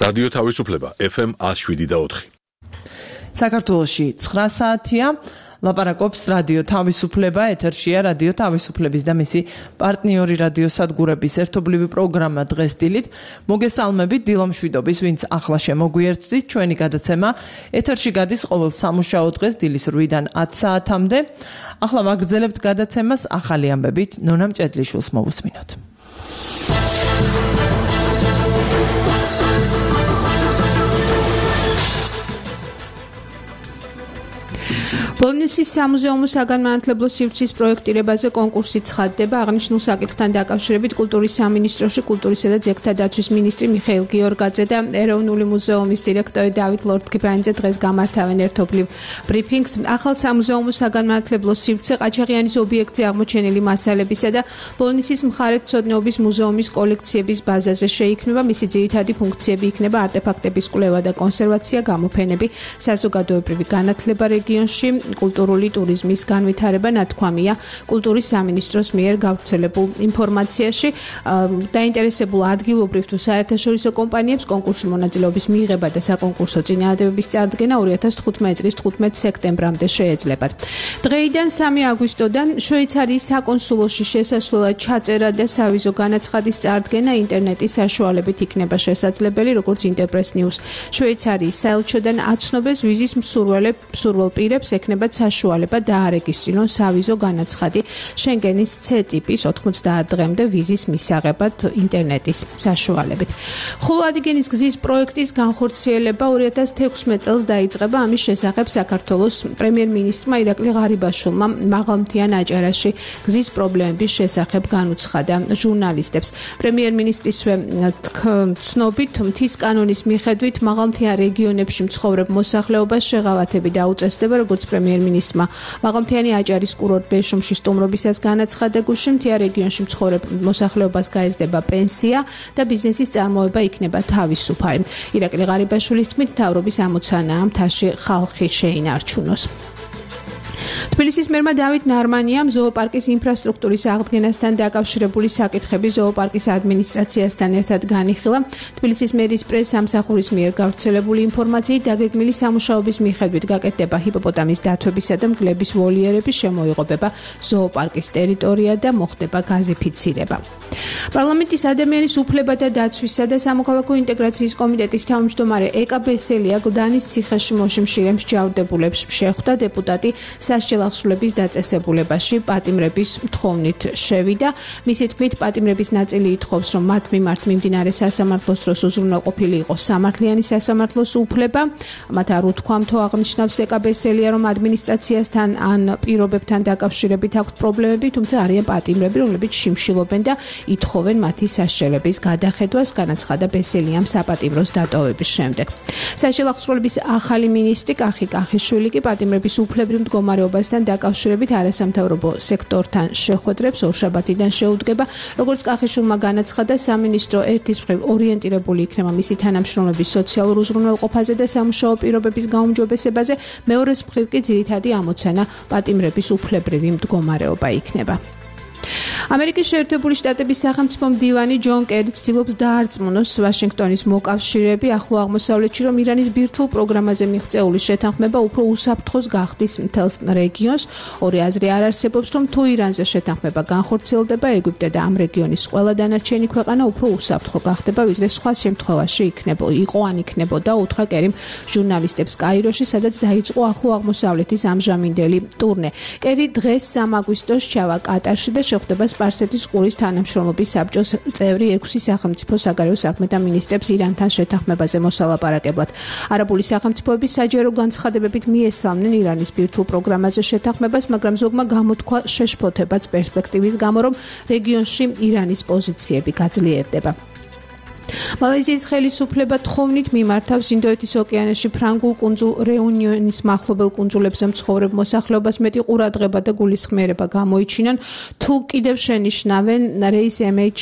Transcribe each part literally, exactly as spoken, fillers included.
რადიო თავისუფლება F M one oh seven და four. საქართველოში ცხრა საათია. ლაპარაკობს რადიო თავისუფლება, ეთერშია რადიო თავისუფლების და მისი პარტნიორი რადიო სადგურების ერთობლივი პროგრამა დღეს დილით. მოგესალმებით დილამშვიდობის, ვინც ახლა შემოგვიერთდით. ჩვენი გადაცემა ეთერში გადის ყოველ სამუშაო დღეს დილის რვიდან ათ საათამდე. ახლა ვაგრძელებთ გადაცემას ახალი ამბებით. ნონა მჭედლიშვილს მოვუსმინოთ. ბოლნისის სამუზეუმო საგანმანათლებლო სივრცის პროექტირებაზე კონკურსი ცხადდება. აღნიშნულ საკითხთან დაკავშირებით კულტურის სამინისტროში კულტურისა და ძეგლთა დაცვის მინისტრი მიხეილ გიორგაძე და ეროვნული მუზეუმის დირექტორი დავით ლორთქიფანიძე დღეს გამართავენ ერთობლივ ბრიფინგს. ახალ სამუზეუმო საგანმანათლებლო სივრცე ყაჩაღიანის ობიექტზე აღმოჩენილი მასალებისა და ბოლნისის მხარეთმცოდნეობის მუზეუმის კოლექციების ბაზაზე შეიქმნება. მისი ძირითადი ფუნქციები იქნება არტეფაქტების კვლევა და კონსერვაცია, გამოფენები, საზოგადოებრივი განათლება რეგიონში, კულტურული ტურიზმის განვითარება. ნათქვამია კულტურის სამინისტროს მიერ გავრცელებულ ინფორმაციაში. დაინტერესებულ ადგილობრივ თუ საერთაშორისო კომპანიებს კონკურსში მონაწილეობის მიღება და საკონკურსო წინააღმდეგობის წარდგენა ორი ათას თხუთმეტი წლის თხუთმეტ სექტემბრამდე შეეძლებათ. დღეიდან სამი აგვისტოდან შვეიცარიის საკონსულოში შესასვლელად ჩაწერა და სავიზო განაცხადის წარდგენა ინტერნეტის საშუალებით იქნება შესაძლებელი, როგორც ინტერპრეს ნიუს შვეიცარიის საელჩოდან აცნობეს. ვიზის მსურველ პირებს ექნება საშუალება დაარეგისტრირონ სავიზო განაცხადი შენგენის C ტიპის ოთხმოცდაათ დღემდე ვიზის მისაღებად ინტერნეტის საშუალებით. ხულო-ადიგენის გზის პროექტის განხორციელება ორი ათას თექვსმეტ წელს დაიწყება. ამის შესახებ საქართველოს პრემიერ-მინისტრმა ირაკლი ღარიბაშვილმა მაღალმთიან აჭარაში გზის პრობლემების შესახებ განუცხადა ჟურნალისტებს. პრემიერ-მინისტრისვე ცნობით მთის კანონის მიხედვით მაღალმთიან რეგიონებში მცხოვრებ მოსახლეობას შეღავათები დაუწესდება, როგორც პრემიერ-მინისტრმა მაღალმთიანი აჭარის კურორტ ბეშუმში სტუმრობისას განაცხადა. გუშინ მთიან რეგიონში მცხოვრებ მოსახლეობას გაეზდება პენსია და ბიზნესის წარმოება იქნება თავისუფალი. ირაკლი ღარიბაშვილის თქმით, მთავრობის ამოცანაა მთაში ხალხი შეინარჩუნოს. თბილისის მერმა დავით ნარმანიამ ზოოპარკის ინფრასტრუქტურის აღდგენასთან დაკავშირებული საკითხები ზოოპარკის ადმინისტრაციასთან ერთად განიხილა. თბილისის მერის პრეს-სამსახურის მიერ გავრცელებული ინფორმაციით დაგეგმილი სამუშაოების მიხედვით გაკეთდება ჰიპოპოტამის დათვებისა და მგლების ვოლიერების შემოიღობება ზოოპარკის ტერიტორია და მოხდება გაზიფიცირება. პარლამენტის ადამიანის უფლებათა დაცვისა და სამოქალაქო ინტეგრაციის კომიტეტის თავმჯდომარე ეკა ბესელია გლდანის ციხეში მოშიმშილე მსჯავრდებულებს შეხვდა. დეპუტატი სასჯელახსრულების დაწესებულებაში პატიმრების თხოვნით შევიდა. მისი თქმით, პატიმრების ნაწილი ითხოვს, რომ მათ მიმართ მიმდინარე სასამართლოს დროს უზრუნველყოფილი იყოს სამართლიანი სასამართლოს უფლება. მათ არ უთქვამთო აღნიშნავს ეკა ბესელია, რომ ადმინისტრაციასთან ან პირობებთან დაკავშირებით აქვთ პრობლემები, თუმცა არიან პატიმრები, რომლებიც შიმშილობენ და ითხოვენ მათი სასჯელების გადახედვას, განაცხადა ბესელიამ საპატიმროს დატოვების შემდეგ. სასჯელახსრულების ახალი მინისტრი კახი კახიშვილი კი პატიმრების უფლებრივ მდგომარეობასთან დაკავშირებით არასამთავრობო სექტორთან შეხვედრებს ორშაბათიდან შეუდგება. როგორც კახიშვილმა განაცხადა, სამინისტრო ერთის მხრივ ორიენტირებული იქნება მისი თანამშრომლების სოციალურ უზრუნველყოფაზე და სამუშაო პირობების გაუმჯობესებაზე, მეორეს მხრივ კი ძირითადი ამოცანა პატიმრების უფლებრივი მდგომარეობა იქნება. ამერიკის შეერთებული შტატების სახელმწიფო მდივანი ჯონ კერი ცდილობს დაარწმუნოს ვაშინგტონის მოკავშირეები ახლო აღმოსავლეთში, რომ ირანის ბირთვულ პროგრამაზე მიღწეული შეთანხმება უფრო უსაფრთხოს გახდის მთელს რეგიონს. ორი აზრი არ არსებობს, რომ თუ ირანზე შეთანხმება განხორციელდება, ეგვიპტე და ამ რეგიონის ყველა დანარჩენი ქვეყანა უფრო უსაფრთხო გახდება, ვიდრე სხვა შემთხვევაში იქნება იყო ან იქნებოდა, უთხრა კერიმ ჟურნალისტებს კაიროში, სადაც დაიწყო ახლო აღმოსავლეთის ამჟამინდელი ტურნე. კერი დღეს სამ აგვისტოს ჩავა კატარში და შეხვდება სპარსეთის ყურის თანამშრომლობის საბჭოს წევრი ექვსი სახელმწიფო საგარეო საქმეთა მინისტრებს ირანთან შეთანხმებაზე მოსალაპარაკებლად. არაბული სახელმწიფოების საჯარო განცხადებებით მიესალმნენ ირანის ბირთვულ პროგრამაზე შეთანხმებას, მაგრამ ზოგმა გამოთქვა შეშფოთებაც პერსპექტივის გამო, რომ რეგიონში ირანის პოზიციები გაძლიერდება. მალაიზიის ხელისუფლება თხოვნით მიმართავს ინდოეთის ოკეანეში ფრანგულ კუნძულ რეუნიონის მახლობელ კუნძულებზე მცხოვრებ მოსახლეობას მეტი ყურადღება და გულისხმიერება გამოიჩინონ, თუ კიდევ შენიშნავენ რეის ემ ეიჩ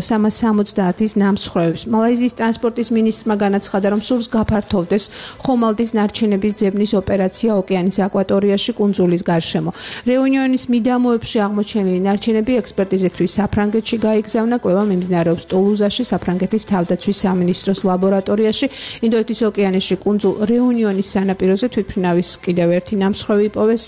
სამას სამოცდაათის ნამსხვრევებს. მალაიზიის ტრანსპორტის მინისტრმა განაცხადა, რომ სურს გაფართოვდეს ხომალდის ნარჩენების ძებნის ოპერაცია ოკეანის აკვატორიაში კუნძულის გარშემო. რეუნიონის მიდამოებში აღმოჩენილი ნარჩენები ექსპერტიზისთვის საფრანგეთში გაიგზავნა, კვლევა მიმდინარეობს ტულუზაში, საფრანგეთის თავდაცვის სამინისტროს ლაბორატორიაში. ინდოეთის ოკეანეში კუნძულ რეუნიონის სანაპიროზე თვითმფრინავის კიდევ ერთი ნამსხვრევი იპოვეს.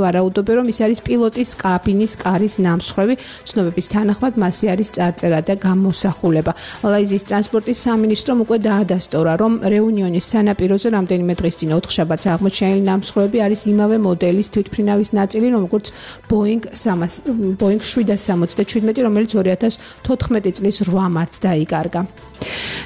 ვარაუდობენ, რომ ის არის პილოტის კაბინის კარის ნამსხვრევი. ცნობების თანახმად მასზე არის წარწერა და გამოსახულება. მალაიზიის ტრანსპორტის სამინისტრომ უკვე დაადასტურა, რომ რეუნიონის სანაპიროზე რამდენიმე დღის წინ ოთხშაბათს აღმოჩენილი ნამსხვრევები არის იმავე მოდელის თვითმფრინავის ნაწილი, როგორც Boeing შვიდას სამოცდაშვიდმეტი, რომელიც ორი ათას თოთხმეტი წლის რვა მარტს დაიკარგა.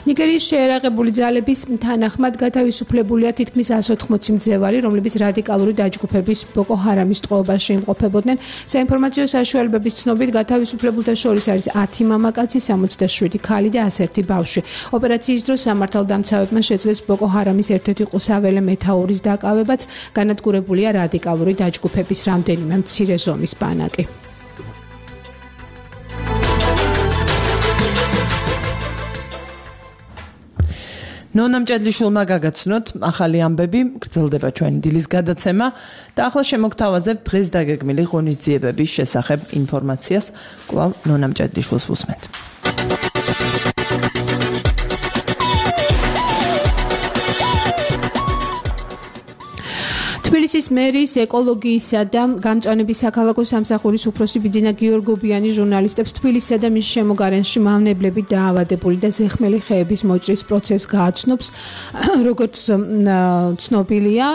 ნიგერიის შეერაღებული ძალების თანახმად გათავისუფლებულია თითქმის εκατს ოთხმოცი მძევალი, რომლებიც რადიკალური დაჯგუფების ბოკო ჰარამის ტყვეობაში იმყოფებოდნენ. საინფორმაციო საშუალებების ცნობით გათავისუფლებულთა შორის არის ათი მამაკაცი, სამოცდაშვიდი ქალი და ას ერთი ბავშვი. ოპერაციის დროს სამართალდამცავებმა შეძლეს ბოკო ჰარამის ერთ-ერთი ყუსაველი მეთაურის დაკავებაც, განადგურებულია რადიკალური დაჯგუფების რამდენიმე მცირე ზომის ბანაკი. ნონა მჭედლიშვილმა გაგაცნოთ ახალი ამბები, გრძელდება ჩვენი დილის გადაცემა და ახლა შემოგთავაზებთ დღეს დაგეგმილი ღონისძიებების შესახებ ინფორმაციას. კვლავ ნონა მჭედლიშვილს ვუსმენთ. თბილისის მერის ეკოლოგიისა და გამწვანების საქალაქო სამსახურის უფროსი ბიძინა გიორგობიანი ჟურნალისტებს თბილისსა და მის შემოგარენში მავნებლები დაავადებული და ზეხმელი ხეების მოჭრის პროცესს გააცნობს. როგორც ცნობილია,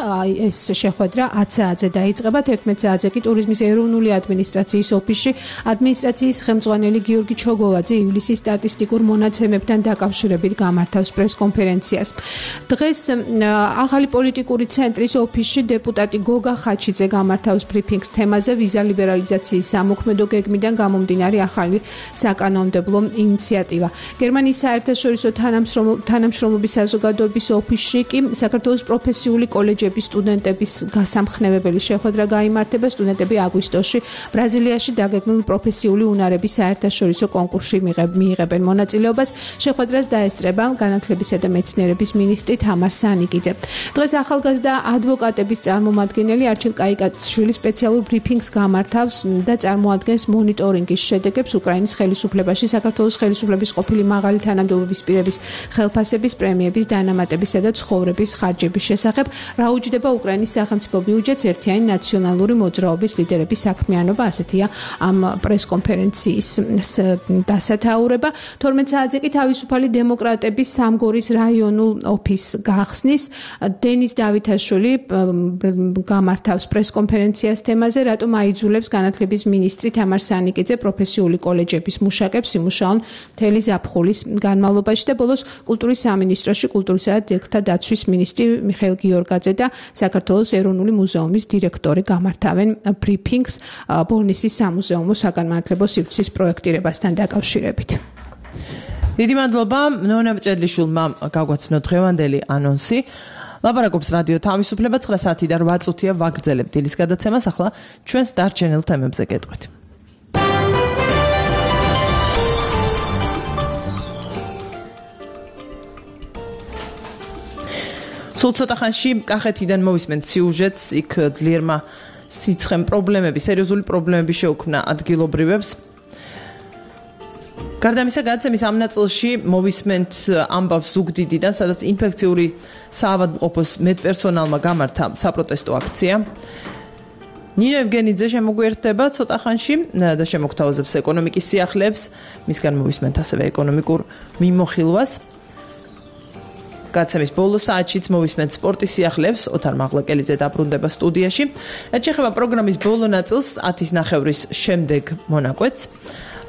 ეს შეხვედრა ათ საათზე დაიწყება, თერთმეტ საათზე კი ტურიზმის ეროვნული ადმინისტრაციის ოფისში ადმინისტრაციის ხელმძღვანელი გიორგი ჩოგოვაძე ივლისის სტატისტიკურ მონაცემებთან დაკავშირებით გამართავს პრესკონფერენციას. დღეს ახალი პოლიტიკური ცენტრის ოფისში დეპუტატი გოგა ხაჩიძე გამართავს ბრიფინგს თემაზე ვიზა ლიბერალიზაციის სამოქმედო გეგმიდან გამომდინარე ახალი საკანონმდებლო ინიციატივა. გერმანიის საერთაშორისო თანამშრომლობის საზოგადოების ოფისში კი საქართველოს პროფესიული კოლეჯების სტუდენტების გასამხნევებელი შეხვედრა გაიმართება. სტუდენტები აგვისტოში ბრაზილიაში დაგეგმილ პროფესიული უნარების საერთაშორისო კონკურსში მიიღებენ მონაწილეობას. შეხვედრას დაესწრება განათლებისა და მეცნიერების მინისტრი თამარ სანიკიძე. დღეს ახალგაზრდა ადვოკატების წარმომადგენელი არჩილ კაიკაშვილი სპეციალურ ბრიფინგს გამართავს და წარმოადგენს მონიტორინგის შედეგებს უკრაინის ხელისუფლებაში საქართველოს ხელისუფლების ყოფილი მაღალი თანამდებობის პირების ხელფასების, პრემიების, დანამატებისა და ცხოვრების ხარჯების შესახებ. რა უჯდება უკრაინის სახელმწიფო ბიუჯეტს ერთიანი ნაციონალური მოძრაობის ლიდერების საქმიანობა, ასეთია ამ პრესკონფერენციის დასათაურება. თორმეტ საათზე კი თავისუფალი დემოკრატების სამგორის რაიონულ ოფისს გახსნის. დენის დავითაშვილი გამართავს პრესკონფერენციას თემაზე, რატომ აიძულებს განათლების მინისტრი თამარ სანიკიძე პროფესიული კოლეჯების მუშაკებს იმუშაონ მთელი ზაფხულის განმავლობაში და ბოლოს კულტურის სამინისტროში კულტურისა და ძეგლთა დაცვის მინისტრი მიხეილ გიორგაძე და საქართველოს ეროვნული მუზეუმის დირექტორი გამართავენ ბრიფინგს ბოლნისის სამუზეუმო საგანმანათლებლო სივრცის პროექტირებასთან დაკავშირებით. დიდი მადლობა ნონა მჭედლიშვილმა გაგვაცნო დღევანდელი ანონსი. ლაპარაკობს რადიო თავისუფლება ცხრა საათი და რვა წუთია ვაგრძელებთ დილის გადაცემას. ახლა ჩვენს დარჩენილ თემებზე გეტყვით. სულ ცოტა ხანში კახეთიდან მოვისმენთ სიუჟეტს, იქ ძლიერმა სიცხემ პრობლემები, სერიოზული პრობლემები შეუქმნა ადგილობრივებს. გარდა ამისა, გადაცემის ამ ნაწილში მოვისმენთ ამბავს ზუგდიდიდან, სადაც ინფექციური საავადმყოფოს მედპერსონალმა გამართა საპროტესტო აქცია. ნინო ევგენიძე შემოგვიერთდება ცოტა ხანში და შემოგთავაზებს ეკონომიკის სიახლეებს, მისგან მოვისმენთ ასევე ეკონომიკურ მიმოხილვას. გადაცემის ბოლო საათშიც მოვისმენთ სპორტის სიახლეებს, ოთარ მაღლაკელიძე დაბრუნდება სტუდიაში. რაც შეეხება პროგრამის ბოლო ნაწილს, ათის ნახევრის შემდეგ მონაკვეთს.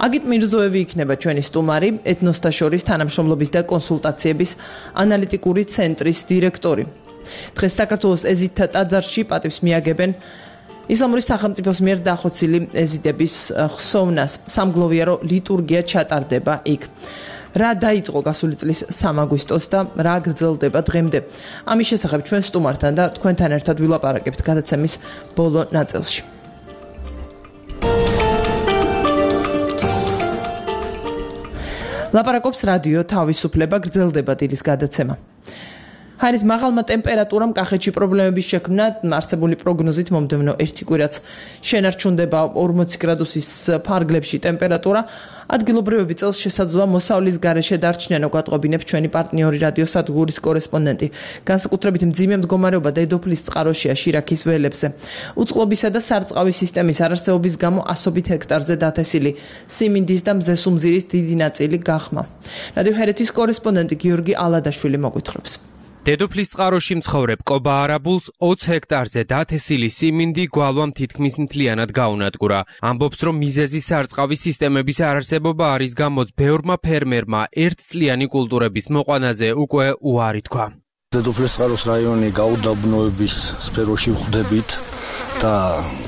აგით მირზოევი იქნება ჩვენი სტუმარი, ეთნოსთა შორის თანამშრომლობის და კონსულტაციების ანალიტიკური ცენტრის დირექტორი. დღეს საქართველოს ეზიდთა ტაძარში პატივს მიაგებენ ისლამური სახელმწიფოს მიერ დახოცილი ეზიდების ხსოვნას. სამგლოვიარო ლიტურგია ჩატარდება იქ. რა დაიწყო გასული წლის სამი აგვისტოს და რა გრძელდება დღემდე. ამის შესახებ ჩვენ სტუმართან და თქვენთან ერთად ვილაპარაკებთ გადაცემის ბოლო ნაწილში. ლაპარაკობს რადიო თავისუფლება, გრძელდება დილის გადაცემა. ჰაერის მაღალმა ტემპერატურამ კახეთში პრობლემების შექმნა, არსებული პროგნოზით მომდევნო ერთი კვირაც შენარჩუნდება ორმოცი გრადუსის ფარგლებში ტემპერატურა. ადგილობრივები წელს შესაძლოა მოსავლის გარეშე დარჩნენ, გვატყობინებს ჩვენი პარტნიორი რადიოსადგურის კორესპონდენტი. განსაკუთრებით მძიმე მდგომარეობა დედოფლის წყაროშია შირაქის ველებზე. უწყლობისა და სარწყავი სისტემის არარსეობის გამო ასობით ჰექტარზე დათესილი სიმინდის და მზესუმზირის დიდი ნაწილი გახმა. რადიო ჰერეთის კორესპონდენტი გიორგი ალადაშვილი მოგვითხრობს. დედოფლის წყაროში მცხოვრებ კობა არაბულს ოცი ჰექტარზე დათესილი სიმინდი გვალვამ თითქმის მთლიანად გაუნადგურა. ამბობს, რომ მიზეზი სარწყავი სისტემების არარსებობა არის, გამოც ბევრმა ფერმერმა ერთწლიანი კულტურების მოყვანაზე უკვე უარი თქვა. დედოფლის წყაროს რაიონი გაუდაბნოების სფეროში ვხვდებით და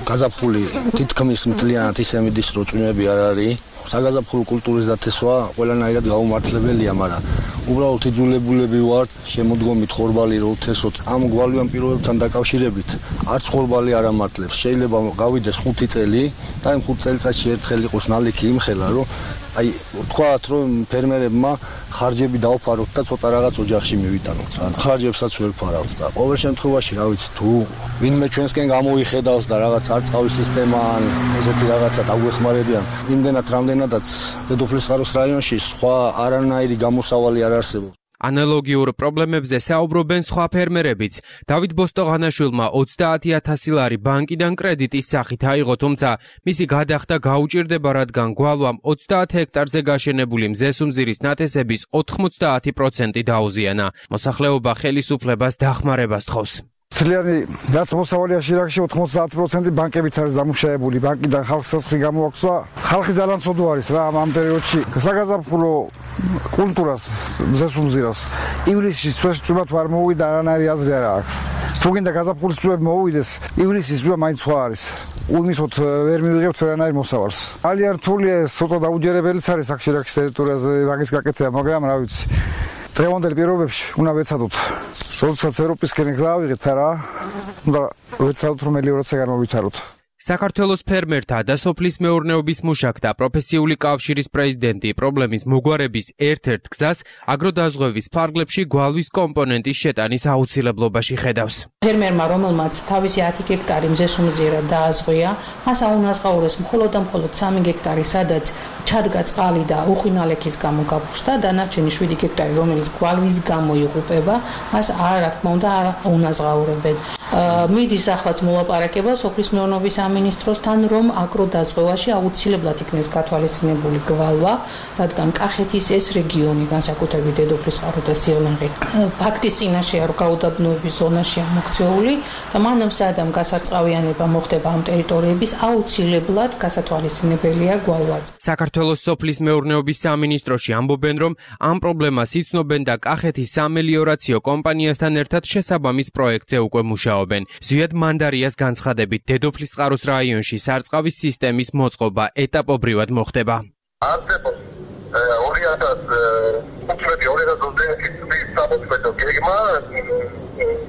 გაზაფხული თითქმის მთლიანად ისე მიდის, რომ წვიმები არ არის. საგაზაფხულო კულტურის დათესვა ყველანაირად გაუმართლებელია, მაგრამ უბრალოდ იძულებულები ვართ შემოდგომით ხორბალი რო თესოთ. ამ გვალვიან პირობებთან დაკავშირებით არც ხორბალი არ ამართლებს. შეიძლება გავიდეს ხუთი წელი და იმ ხუთ წელიწადში ერთხელ იყოს ნალექი იმხელა, რომ აი თქვათ, რომ ფერმერებმა ხარჯები დაუფაროთ და ცოტა რაღაც ოჯახში მივიტანოთ. ხარჯებსაც ვერ ფარავთ და ყოველ შემთხვევაში, რა ვიცი, თუ ვინმე ჩვენსკენ გამოიხედავს და რაღაც არწყავის სისტემა ან ესეთი რაღაცა დაგვეხმარებიან, იმდენად რამდენადაც დედოფლის წყაროს რაიონში სხვა არანაირი გამოსავალი არ არსებობს. ანალოგიურ პრობლემებზე საუბრობენ სხვა ფერმერებიც. დავით ბოსტოღანაშვილმა ოცდაათი ათასი ლარი ბანკიდან კრედიტის სახით აიღო, თუმცა მისი გადახდა გაუჭირდება, რადგან გვალვამ ოცდაათი ჰექტარზე გაშენებული მზესუმზირის ნათესების ოთხმოცდაათი პროცენტი დაუზიანა. მოსახლეობა ხელისუფლებას დახმარებას თხოვს. მთლიანი რაც მოსავალია შირაქში ოთხმოცდაათი პროცენტი ბანკებით არის დამუშავებული. ბანკიდან ხალხს სოციი გამოაქვს და ხალხი ძალიან ცოდო არის რა ამ პერიოდში. საგაზაფხულო კულტურას მზესუმზირას ივლისში წვიმა თუ არ მოუვიდა არანაირი აზრი არ აქვს. თუ გინდა გაზაფხულის წვიმები მოუვიდეს, ივლისის წვიმა მაინც სხვა არის. უმისოთ ვერ მივიღებთ ვერანაირ მოსავალს. ძალიან რთულია, ცოტა დაუჯერებელიც არის აქ შირაქის ტერიტორიაზე მაგის გაკეთება, მაგრამ რა ვიცი. დღევანდელ პირობებში უნდა ვეცადოთ. როდესაც ევროპისკენ გზავიღეთ რა, უნდა ვეცადოთ რომ მელიორაცია გამოვითაროთ. საქართველოს ფერმერთა და სოფლის მეურნეობის მუშაკთა პროფესიული კავშირის პრეზიდენტი პრობლემის მოგვარების ერთ-ერთ გზას აგროდაზღვევის ფარგლებში გვალვის კომპონენტის შეტანის აუცილებლობაში ხედავს. ფერმერმა, რომელმაც თავისი ათი ჰექტარი მზესუმზირა დააზღვია, მას აუნაზღაუროს მხოლოდ და მხოლოდ სამი ჰექტარი, სადაც ჩადგა წყალი და უხინალექის გამო გაფუშტა, დანარჩენი შვიდი ჰექტარი, რომელიც გვალვის გამო იღუპება, მას არ რა თქმა უნდა არ აუნაზღაურებენ. მიდის ახლაც მოლაპარაკება სოფლის მეურნეობის სამინისტროსთან, რომ აგროდაზღვევაში აუცილებლად იქნეს გათვალისწინებული გვალვა, რადგან კახეთის ეს რეგიონი, განსაკუთრებით დედოფლის წყარო და სიღნაღი, ფაქტის წინაშეა, რომ გაუდაბნოების ზონაშია მოქცეული და მანამ სადამ გასარწყავიანება მოხდება ამ ტერიტორიების, აუცილებლად გასათვალისწინებელია გვალვაც. საქართველოს სოფლის მეურნეობის სამინისტროში ამბობენ, რომ ამ პრობლემას იცნობენ და კახეთის სამელიორაციო კომპანიასთან ერთად შესაბამის პროექტზე უკვე მუშაობენ. ზვიად მანდარიას განცხადებით, დედოფლის წყაროს რაიონში სარწყავის სისტემის მოწყობა ეტაპობრივად მოხდება. არსებობს ორი ათასი ორი ათას ოცდაათი წლის სამოქმედო გეგმა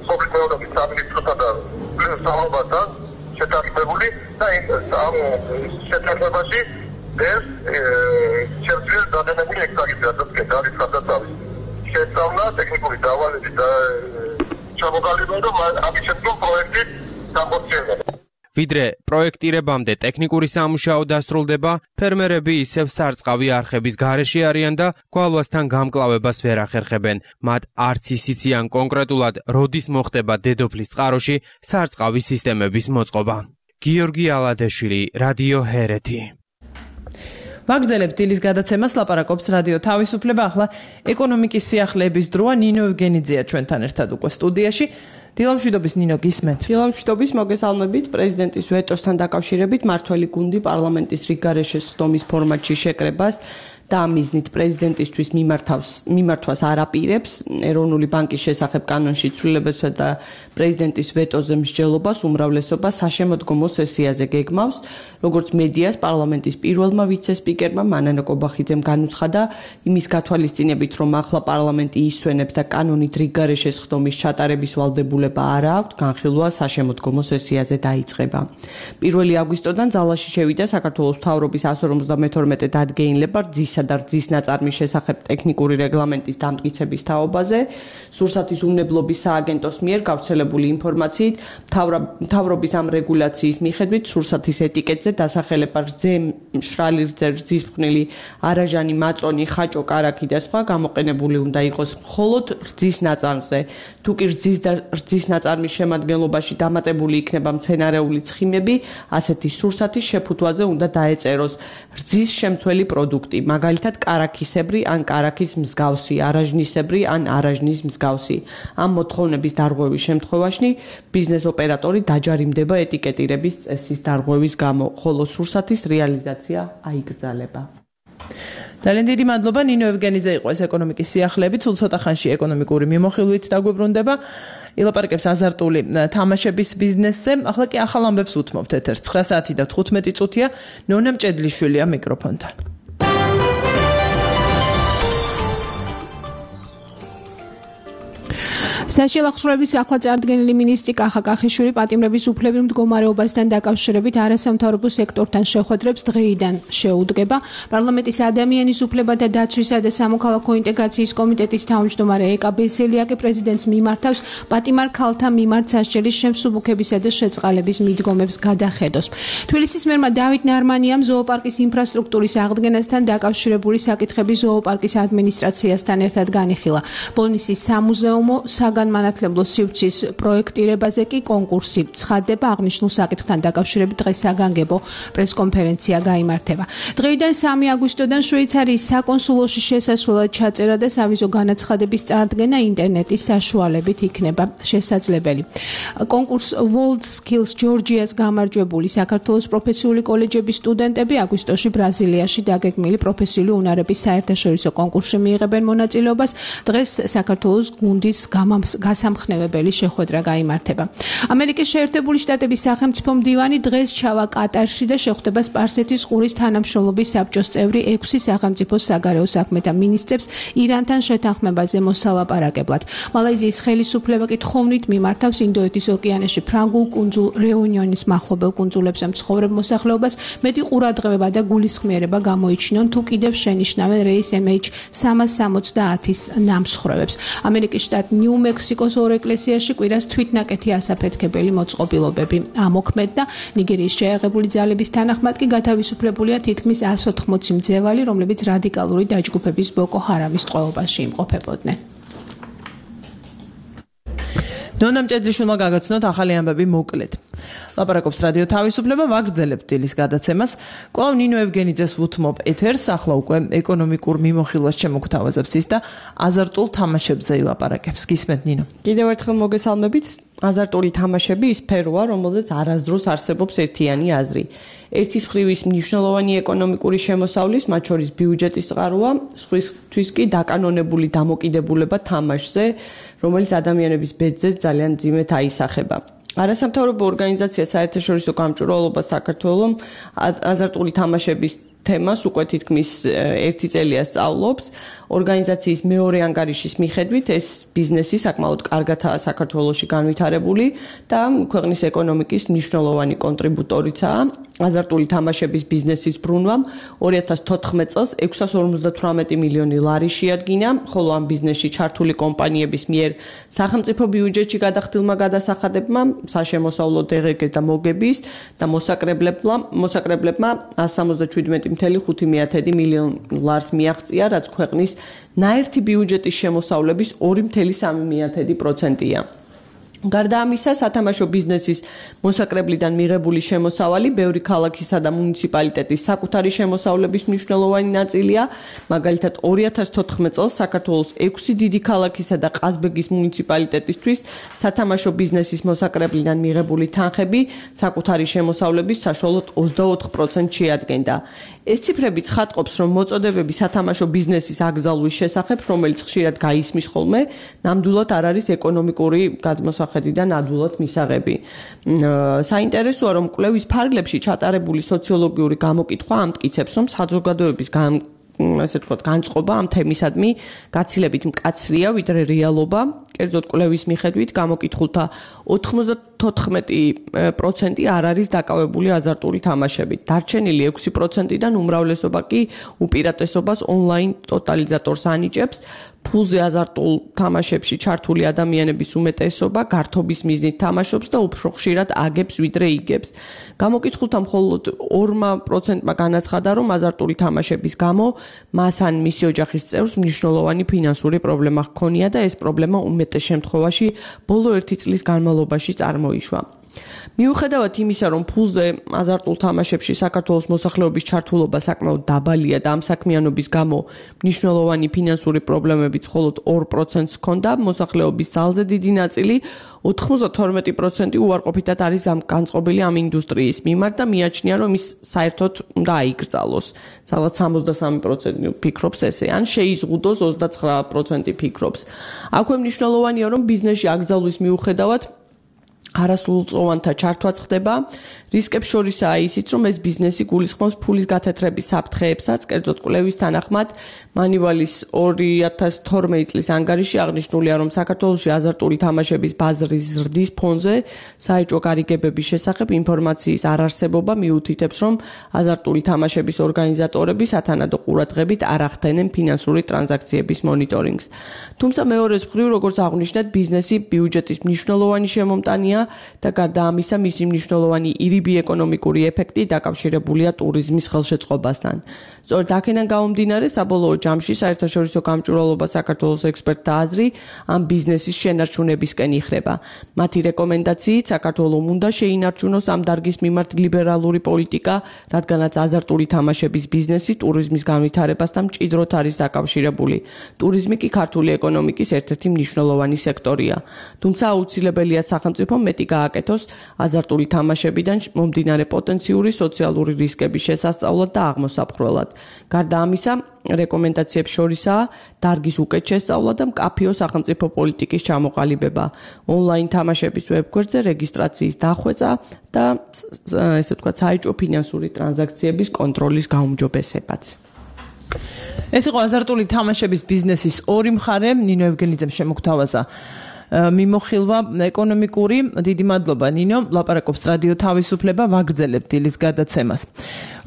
სოფლის მეურნეობის სამინისტროსთან და სამალობასთან შეთანხმებული და ამ შეთანხმებაში ეს შეძლებს დადანებული ექსპერტიზა და განცხადა თავის შესწავლა ტექნიკური დავალებით და ჩამოყალიბება და ამის შემდგომ პროექტი გამოცხადდება. ვიდრე პროექტირებამდე ტექნიკური სამუშაო დასრულდება, ფერმერები ისევ სარწყავი არხების გარეშე არიან და გვალვასთან გამკლავებას ვერ ახერხებენ. მათ არც ისიციან კონკრეტულად, როდის მოხდება დედოფლის წყაროში სარწყავის სისტემების მოწყობა. გიორგი ალადაშვილი, რადიო ჰერეთი. ვაგრძელებთ დილის გადაცემას, ლაპარაკობს რადიო თავისუფლება. ახლა ეკონომიკის სიახლეების დროა, ნინო ევგენიძეა ჩვენთან ერთად უკვე სტუდიაში. დილამშვიდობის ნინო, გისმენთ. დილამშვიდობის, მოგესალმებით. პრეზიდენტის ვეტოსთან დაკავშირებით მართველი გუნდი პარლამენტის რიგგარეშე სხდომის ფორმატში შეკრებას და ამ მიზნით პრეზიდენტისთვის მიმართავს მიმართვას არ აპირებს. ეროვნული ბანკის შესახებ კანონში ცვლილებებსა და პრეზიდენტის ვეტოზე მსჯელობას უმრავლესობა საშემოდგომო სესიაზე გეგმავს. როგორც მედიას პარლამენტის პირველმა ვიცე-სპიკერმა მანანა კობახიძემ განუცხადა იმის გათვალისწინებით, რომ ახლა პარლამენტი ისვენებს და კანონით რიგგარეშე სხდომის ჩატარების ვალდებულება არ აქვს, განხილვა საშემოდგომო სესიაზე დაიწყება. პირველი აგვისტოდან ძალაში შევიდა საქართველოს მთავრობის εκατόν ორმოცდამეთორმეტე დადგენილება რძის კარაქისა და რძის ნაწარმის შესახებ ტექნიკური რეგლამენტის დამტკიცების თაობაზე, სურსათის უმნებლობის სააგენტოს მიერ გავრცელებული ინფორმაციით, მთავრობის ამ რეგულაციის მიხედვით სურსათის ეტიკეტზე დასახელება რძე, მშრალი რძე, რძის ფხვნილი, არაჟანი, მაწონი, ხაჭო, კარაქი და სხვა გამოყენებული უნდა იყოს მხოლოდ რძის ნაწარმზე. თუ კი რძის და რძის ნაწარმის შემადგენლობაში დამატებული იქნება მცენარეული ცხიმები, ასეთი სურსათის შეფუთვაზე უნდა დაეწეროს რძის შემცველი პროდუქტი, მაგალითად კარაქისებრი ან კარაქის მსგავსი, არაჟნისებრი ან არაჟნის მსგავსი. ამ მოთხოვნების დარღვევის შემთხვევაში ბიზნეს ოპერატორი დაჯარიმდება ეტიკეტირების წესის დარღვევის გამო, ხოლო სურსათის რეალიზაცია აიგრძალება. ძალიან დიდი მადლობა. ნინო ევგენიძე იყო ეს ეკონომიკის სიახლეები, სულ ცოტა ხანში ეკონომიკური მიმოხილვით დაგვიბრუნდება. ილაპარაკებს აზარტული თამაშების ბიზნესზე. ახლა კი ახალ ამბებს უთმობთ ეთერს. ცხრა საათი და თხუთმეტი წუთია. ნონა მჭედლიშვილია მიკროფონთან. საშილახსოვრების ახლა წარდგენილი მინისტრი კახა კახიშვილი პატიმრების უფლებრივ მდგომარეობასთან დაკავშირებით არასამთავრობო სექტორთან შეხვედრებს დღეიდან შეუდგება. პარლამენტის ადამიანის უფლებათა დაცვისა და სამოქალაქო ინტეგრაციის კომიტეტის თავმჯდომარე ეკა ბესელიაკი პრეზიდენტს მიმართავს პატიმარ ქალთა მიმართ სასჯელის შემსუბუქებისა და შეწყალების მიდგომებს გადახედოს. თბილისის მერმა დავით ნარმანიამ ზოოპარკის ინფრასტრუქტურის აღდგენასთან დაკავშირებული საკითხები ზოოპარკის ადმინისტრაციასთან ერთად განიხილა. ბოლნისის სამუზეუმო განმანათლებლო სივრცის პროექტირებაზე კი კონკურსი ცხადდება. აღნიშნულ საკითხთან დაკავშირებით დღეს საგანგებო პრესკონფერენცია გაიმართება. დღეიდან სამი აგვისტოდან შვეიცარიის საკონსულოში შესასვლელად ჩაწერა და სავიზო განაცხადების წარდგენა ინტერნეტის საშუალებით იქნება შესაძლებელი. კონკურს World Skills Georgia's გამარჯვებული საქართველოს პროფესიული კოლეჯების სტუდენტები აგვისტოში ბრაზილიაში დაგეგმილი პროფესიული უნარების საერთაშორისო კონკურსში მიიღებენ მონაწილეობას. დღეს საქართველოს გუნდის გასამხნევებელი შეხვედრა გაიმართება. ამერიკის შეერთებული შტატების სახელმწიფო მდივანი დღეს ჩავა კატარში და შეხვდება სპარსეთის ყურის თანამშრომლობის საბჭოს წევრი ექვსი სახელმწიფოს საგარეო საქმეთა მინისტრებს ირანთან შეთანხმებაზე მოსალაპარაკებლად. მალაიზიის ხელისუფლება კი თხოვნით მიმართავს ინდოეთის ოკეანეში ფრანგულ კუნძულ რეუნიონის მახლობელ კუნძულებზე მცხოვრებ მოსახლეობას მეტი ყურადღება და გულისხმიერება გამოიჩინონ, თუ კიდევ შენიშნავენ რეის ემ ეიჩ სამას სამოცდაათის ნამსხვრევებს. ამერიკის შტატ ნიუ-მექსიკოს ორ ეკლესიაში კვირას თვითნაკეთი ასაფეთქებელი მოწყობილობები ამოქმედდა. ნიგერიის შეიარაღებული ძალების თანახმად კი გათავისუფლებულია თითქმის εκατს ოთხმოცი მძევალი, რომლებიც რადიკალური დაჯგუფების ბოკო ჰარამის ტყვეობაში იმყოფებოდნენ. ნონა მჭედლიშვილმა გაგაცნოთ ახალი ამბები მოკლედ. ლაპარაკობს რადიო თავისუფლება, ვაგრძელებთ დილის გადაცემას. კვლავ ნინო ევგენიძეს ვუთმობ ეთერს, ახლა უკვე ეკონომიკურ მიმოხილვას შემოგთავაზებს ის და აზარტულ თამაშებზე ილაპარაკებს. გისმენთ ნინო. კიდევ ერთხელ მოგესალმებით. აზარტული თამაშები ის სფეროა, რომელზეც არასდროს არსებობს ერთიანი აზრი. ერთის მხრივ ის მნიშვნელოვანი ეკონომიკური შემოსავლის, მათ შორის ბიუჯეტის წყაროა, სხვისთვის კი დაკანონებული დამოკიდებულება თამაშზე, რომელიც ადამიანების ბედზე ძალიან მძიმედ აისახება. არასამთავრობო ორგანიზაცია საერთაშორისო გამჭვირვალობა საქართველოს აზარტული თამაშების თემას უკვე თითქმის ერთი წელია სწავლობს. ორგანიზაციის მეორე ანგარიშის მიხედვით ეს ბიზნესი საკმაოდ კარგადაა საქართველოში განვითარებული და ქვეყნის ეკონომიკის მნიშვნელოვანი კონტრიბუტორიცაა. აზარტული თამაშების ბიზნესის ბრუნვამ ორი ათას თოთხმეტ წელს ექვსას ორმოცდათვრამეტი მილიონი ლარი შეადგინა, ხოლო ამ ბიზნესში ჩართული კომპანიების მიერ სახელმწიფო ბიუჯეტში გადახდილმა გადასახადებმა, საშემოსავლო დღგ და მოგების და მოსაკრებლებმა მოსაკრებლებმა εκατს სამოცდაშვიდმეტი მცდრ ხუთი მილიონ ლარს მიაღწია, რაც ქვეყნის ნაერთი ბიუჯეტის შემოსავლების ორი მცდრ სამი პროცენტია. გარდა ამისა, სათამაშო ბიზნესის მოსაკრებლიდან მიღებული შემოსავალი ბევრი ქალაქისა და მუნიციპალიტეტის საკუთარი შემოსავლების მნიშვნელოვანი ნაწილია. მაგალითად, ორი ათას თოთხმეტ წელს საქართველოს ექვსი დიდი ქალაქისა და ყაზბეგის მუნიციპალიტეტისთვის სათამაშო ბიზნესის მოსაკრებლიდან მიღებული თანხები საკუთარი შემოსავლების საშუალოდ ოცდაოთხ პროცენტს შეადგენდა. ეს ციფრები ცხადყოფს, რომ მოწოდებები სათამაშო ბიზნესის აკრძალვის შესახებ, რომელიც ხშირად გაისმის ხოლმე, ნამდვილად არ არის ეკონომიკური გადმოსახედიდან ადვილად მისაღები. საინტერესოა, რომ კვლევის ფარგლებში ჩატარებული სოციოლოგიური გამოკითხვა ამტკიცებს, რომ საზოგადოების ასე ვთქვათ, განწყობა ამ თემისადმი გაცილებით მკაცრია, ვიდრე რეალობა. კერძოდ კვლევის მიხედვით გამოკითხულთა ოთხმოცდათოთხმეტი პროცენტი არ არის დაკავებული აზარტული თამაშებით. დარჩენილი ექვსი პროცენტიდან უმრავლესობა კი უპირატესობას ონლაინ ტოტალიზატორს ანიჭებს. ფულზე აზარტულ თამაშებში ჩართული ადამიანების უმეტესობა გართობის მიზნით თამაშობს და უფრო ხშირად აგებს ვიდრე იგებს. გამოკითხულთა მხოლოდ ორ პროცენტმა განაცხადა, რომ აზარტული თამაშების გამო მას ან მისი ოჯახის წევრს მნიშვნელოვანი ფინანსური პრობლემა ჰქონია და ეს პრობლემა უმეტეს შემთხვევაში ბოლო ერთი წლის განმავლობაში წარმოიშვა. მიუხედავად იმისა, რომ ფულზე აზარტულ თამაშებში საქართველოს მოსახლეობის ჩართულობა საკმაოდ დაბალია და ამ საქმიანობის გამო მნიშვნელოვანი ფინანსური პრობლემებიც მხოლოდ ორ პროცენტს ჰქონდა, მოსახლეობის ძალზე დიდი ნაწილი ოთხმოცდათორმეტი პროცენტი უარყოფითად არის განწყობილი ამ ინდუსტრიის მიმართ და მიაჩნია, რომ ის საერთოდ უნდა აიკრძალოს. სადღაც სამოცდასამი პროცენტი ფიქრობს ესე, ან შეიზღუდოს ოცდაცხრა პროცენტი ფიქრობს. აქვე მნიშვნელოვანია, რომ ბიზნესში აკრძალვის მიუხედავად არასრულწლოვანთა ჩართვაც ხდება. რისკებს შორისაა ისიც, რომ ეს ბიზნესი გულისხმობს ფულის გათეთრების საფრთხეებსაც. კერძოდ კვლევის თანახმად, მანივალის ორი ათას თორმეტი წლის ანგარიში აღნიშნულია, რომ საქართველოში აზარტული თამაშების ბაზრის ზრდის ფონზე საეჭვო გარიგებების შესახებ ინფორმაციის არარსებობა მიუთითებს, რომ აზარტული თამაშების ორგანიზატორები სათანადო ყურადღებით არ ახდენენ ფინანსური ტრანზაქციების მონიტორინგს. თუმცა მეორეს მხრივ, როგორც აღნიშნეთ, ბიზნესი ბიუჯეტის მნიშვნელოვანი შემომტანია და გარდა ამისა, მისი მნიშვნელოვანი ირიბი ეკონომიკური ეფექტი დაკავშირებულია ტურიზმის ხელშეწყობასთან. სწორედ აქედან გამომდინარე, საბოლოო ჯამში საერთაშორისო გამჭვირვალობა საქართველოს ექსპერტთა აზრი ამ ბიზნესის შენარჩუნებისკენ იხრება. მათი რეკომენდაციით საქართველოს უნდა შეინარჩუნოს ამ დარგის მიმართ ლიბერალური პოლიტიკა, რადგანაც აზარტული თამაშების ბიზნესი ტურიზმის განვითარებასთან მჭიდროდ არის დაკავშირებული. ტურიზმი კი ქართული ეკონომიკის ერთ-ერთი მნიშვნელოვანი სექტორია. თუმცა აუცილებელია სახელმწიფომ მეტი გააკეთოს აზარტული თამაშებიდან მომდინარე პოტენციური სოციალური რისკების შესასწავლად და აღმოსაფხვრელად. გარდა ამისა, რეკომენდაციებს შორისაა დარგის უკეთ შესწავლა და მკაფიო სახელმწიფო პოლიტიკის ჩამოყალიბება, ონლაინ თამაშების ვებგვერდზე რეგისტრაციის დახვეწა და ესე ვთქვათ, საეჭვო ფინანსური ტრანზაქციების კონტროლის გაუმჯობესებაც. ეს იყო აზარტული თამაშების ბიზნესის ორი მხარე, ნინო ევგენიძემ შემოგთავაზა მიმოხილვა ეკონომიკური. დიდი მადლობა ნინო. ლაპარაკობს რადიო თავისუფლება, ვაგრძელებთ დილის გადაცემას.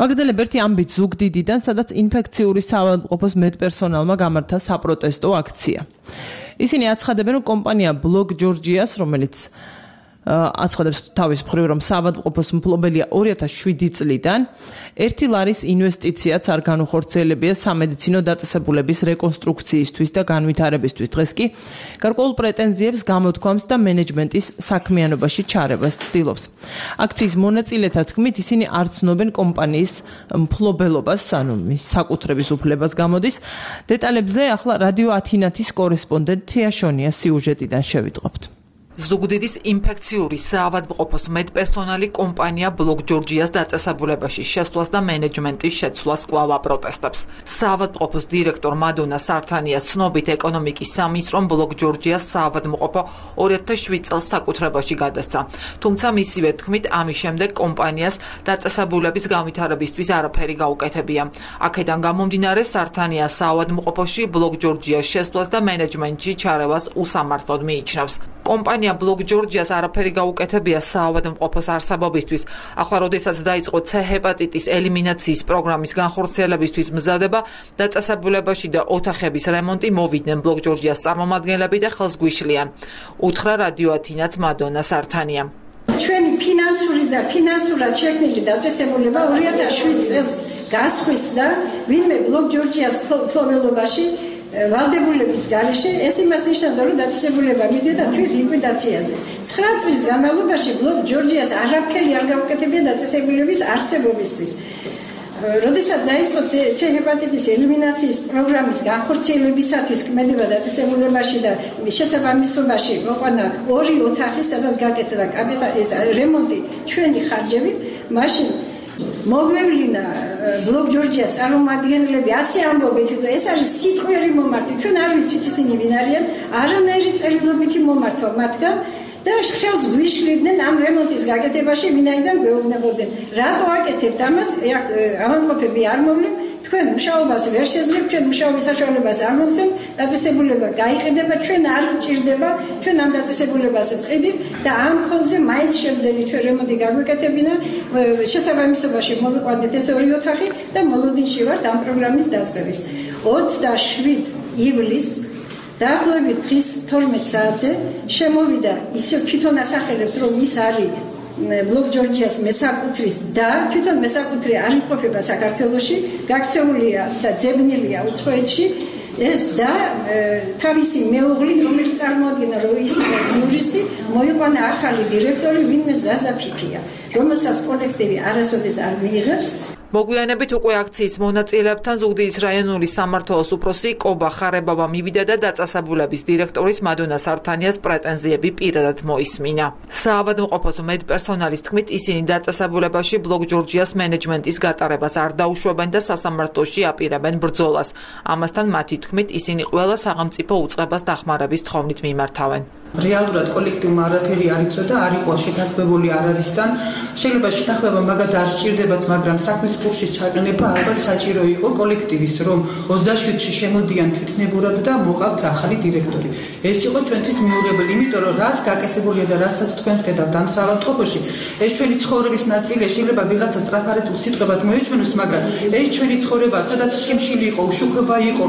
ვაგრძელებ ერთი ამბით ზუგდიდიდან, სადაც ინფექციური საავადმყოფოს მედპერსონალმა გამართა საპროტესტო აქცია. ისინი აცხადებენ, რომ კომპანია ბლოკ ჯორჯიას, რომელიც აცხადებს თავის მხრივ, რომ საავადმყოფოს მფლობელია ორი ათას შვიდი წლიდან, ერთი ლარის ინვესტიციაც არ განუხორციელებია სამედიცინო დაწესებულების რეკონსტრუქციისთვის და განვითარებისთვის. დღეს კი გარკვეულ პრეტენზიებს გამოთქვამს და მენეჯმენტის საქმიანობაში ჩარევას ცდილობს. აქციის მონაწილეთა თქმით, ისინი არ ცნობენ კომპანიის მფლობელობას, ანუ მის საკუთრების უფლებას გამოდის. დეტალებზე ახლა რადიო ათინათის კორესპონდენტ თია შონიას სიუჟეტიდან შევიტყობთ. ზუგდიდის ინფექციური საავადმყოფოს მედპერსონალი კომპანია ბლოკ ჯორჯიას დაწესებულებაში შესვლას და მენეჯმენტის შეცვლას კვლავ აპროტესტებს. საავადმყოფოს დირექტორ მადონა სართანიას ცნობით ეკონომიკის სამინისტრომ ბლოკ ჯორჯიას საავადმყოფო ორი ათას შვიდ წელს საკუთრებაში გადასცა. თუმცა მისივე თქმით, ამის შემდეგ კომპანიას დაწესებულების განვითარებისთვის არაფერი გაუკეთებია. აქედან გამომდინარე, სართანიას საავადმყოფოში ბლოკ ჯორჯიას შესვლას და მენეჯმენტში ჩარევას უსამართლოდ მიიჩნევს. კომპანია ბლოკ ჯორჯიას არაფერი გაუკეთებია საავადმყოფოს არსებობისთვის. ახლა, როდესაც დაიწყო C ჰეპატიტის ელიმინაციის პროგრამის განხორციელებისთვის მზადება, დაწესებულებაში და ოთახების რემონტი მოვიდნენ ბლოკ ჯორჯიას წარმომადგენლები და ხელს გვიშლიან. უთხრა რადიო ათინაც მადონა სართანიამ. ჩვენი ფინანსური და ფინანსურად შექმნილი დაწესებულება ორი ათას შვიდ წელს გასხვისდა, ვინმე ბლოკ ჯორჯიას მფლობელობაში ვალდებულების გარეშე, ეს იმას ნიშნავდა, რომ დაწესებულება მიდიოდა თვით ლიკვიდაციაზე. ცხრა წლის განმავლობაში ბლოკ ჯორჯიას არაფერი არ გაუკეთებია დაწესებულების არსებობისთვის. როდესაც დაიწყო C ჰეპატიტის ელიმინაციის პროგრამის განხორციელებისათვის ქმედება დაწესებულებაში და შესაბამისობაში მოყვანა ორი ოთახი, სადაც გაკეთდა კაპიტალის რემონტი ჩვენი ხარჯებით, მაშინ მოგვევლინა ბლოკ ჯორჯიას წარმომადგენლები ასე ამბობენ, რომ ეს არის სიტყვიერი მომართვა, ჩვენ არ ვიცით ისინი ვინ არიან, არანაირი წერილობითი მომართვა მათგან და ხელს გვიშლიდნენ ამ რემონტის გაკეთებაში, ვინაიდან გვეუბნებოდნენ. რატო აკეთებთ ამას? ავადმყოფები არ მოვლენ, თქვენ მუშაობას ვერ შეძლებთ, ჩვენ მუშაობის საშუალებას არ მოგცემთ, დაწესებულება გაიყიდება, ჩვენ არ გჭირდება, ჩვენ ამ დაწესებულებას ვყიდით და ამ ფონზე მაინც შევძელით ჩვენ რემონტი გაგვეკეთებინა, შესაბამისობაში მოვიყვანეთ ეს ორი ოთახი და მოლოდინში ვართ ამ პროგრამის დაწყების. ოცდაშვიდ ივლისს დაახლოებით დღის თორმეტ საათზე შემოვიდა ისე თვითონ ასახელებს, რომ ის არის ბლოკ ჯორჯიას მესაკუთრის და თვითონ მესაკუთრი არ იმყოფება საქართველოში, გაქცეულია და ძებნილია უცხოეთში ეს და თავისი მეუღლი, რომელიც წარმოადგენდა რომ ის იურისტი, მოიყვანა ახალი დირექტორი, ვინმე ზაზა ფიფია, რომელსაც კოლექტივი არასოდეს არ მიიღებს. მოგვიანებით უკვე აქციის მონაწილეებთან ზუგდიდის რაიონული სამმართველოს უფროსი კობა ხარებავა მივიდა და დაწესებულების დირექტორის მადონა სართანიას პრეტენზიები პირადად მოისმინა. საავადმყოფოს მედპერსონალის თქმით, ისინი დაწესებულებაში ბლოკ ჯორჯიას მენეჯმენტის გატარებას არ დაუშვებენ და სასამართლოში აპირებენ ბრძოლას. ამასთან მათი თქმით, ისინი ყველა სახელმწიფო უწყებას დახმარების თხოვნით მიმართავენ. რეალურად კოლექტივმა არაფერი არ იცოდა, არ იყო შეთანხმებული არავისთან. შეიძლება შეთანხმება მაგათ არ სჭირდებათ, მაგრამ საქმის კურსის ჩაყენება ალბათ საჭირო იყო კოლექტივის, რომ ოცდაშვიდში შემოდიან თვითნებურად და მოყავთ ახალი დირექტორი. ეს იყო ჩვენთვის მიუღებელი, იმიტომ რომ რაც გაკეთებულია და რასაც თქვენ ხედავთ ამ საავადმყოფოში, ეს ჩვენი ცხოვრების ნაწილია. შეიძლება ვიღაცა სტრაფარეთულ სიტყვებად მოეჩვენოს, მაგრამ ეს ჩვენი ცხოვრება, სადაც შიმშილი იყო, უშუქება იყო,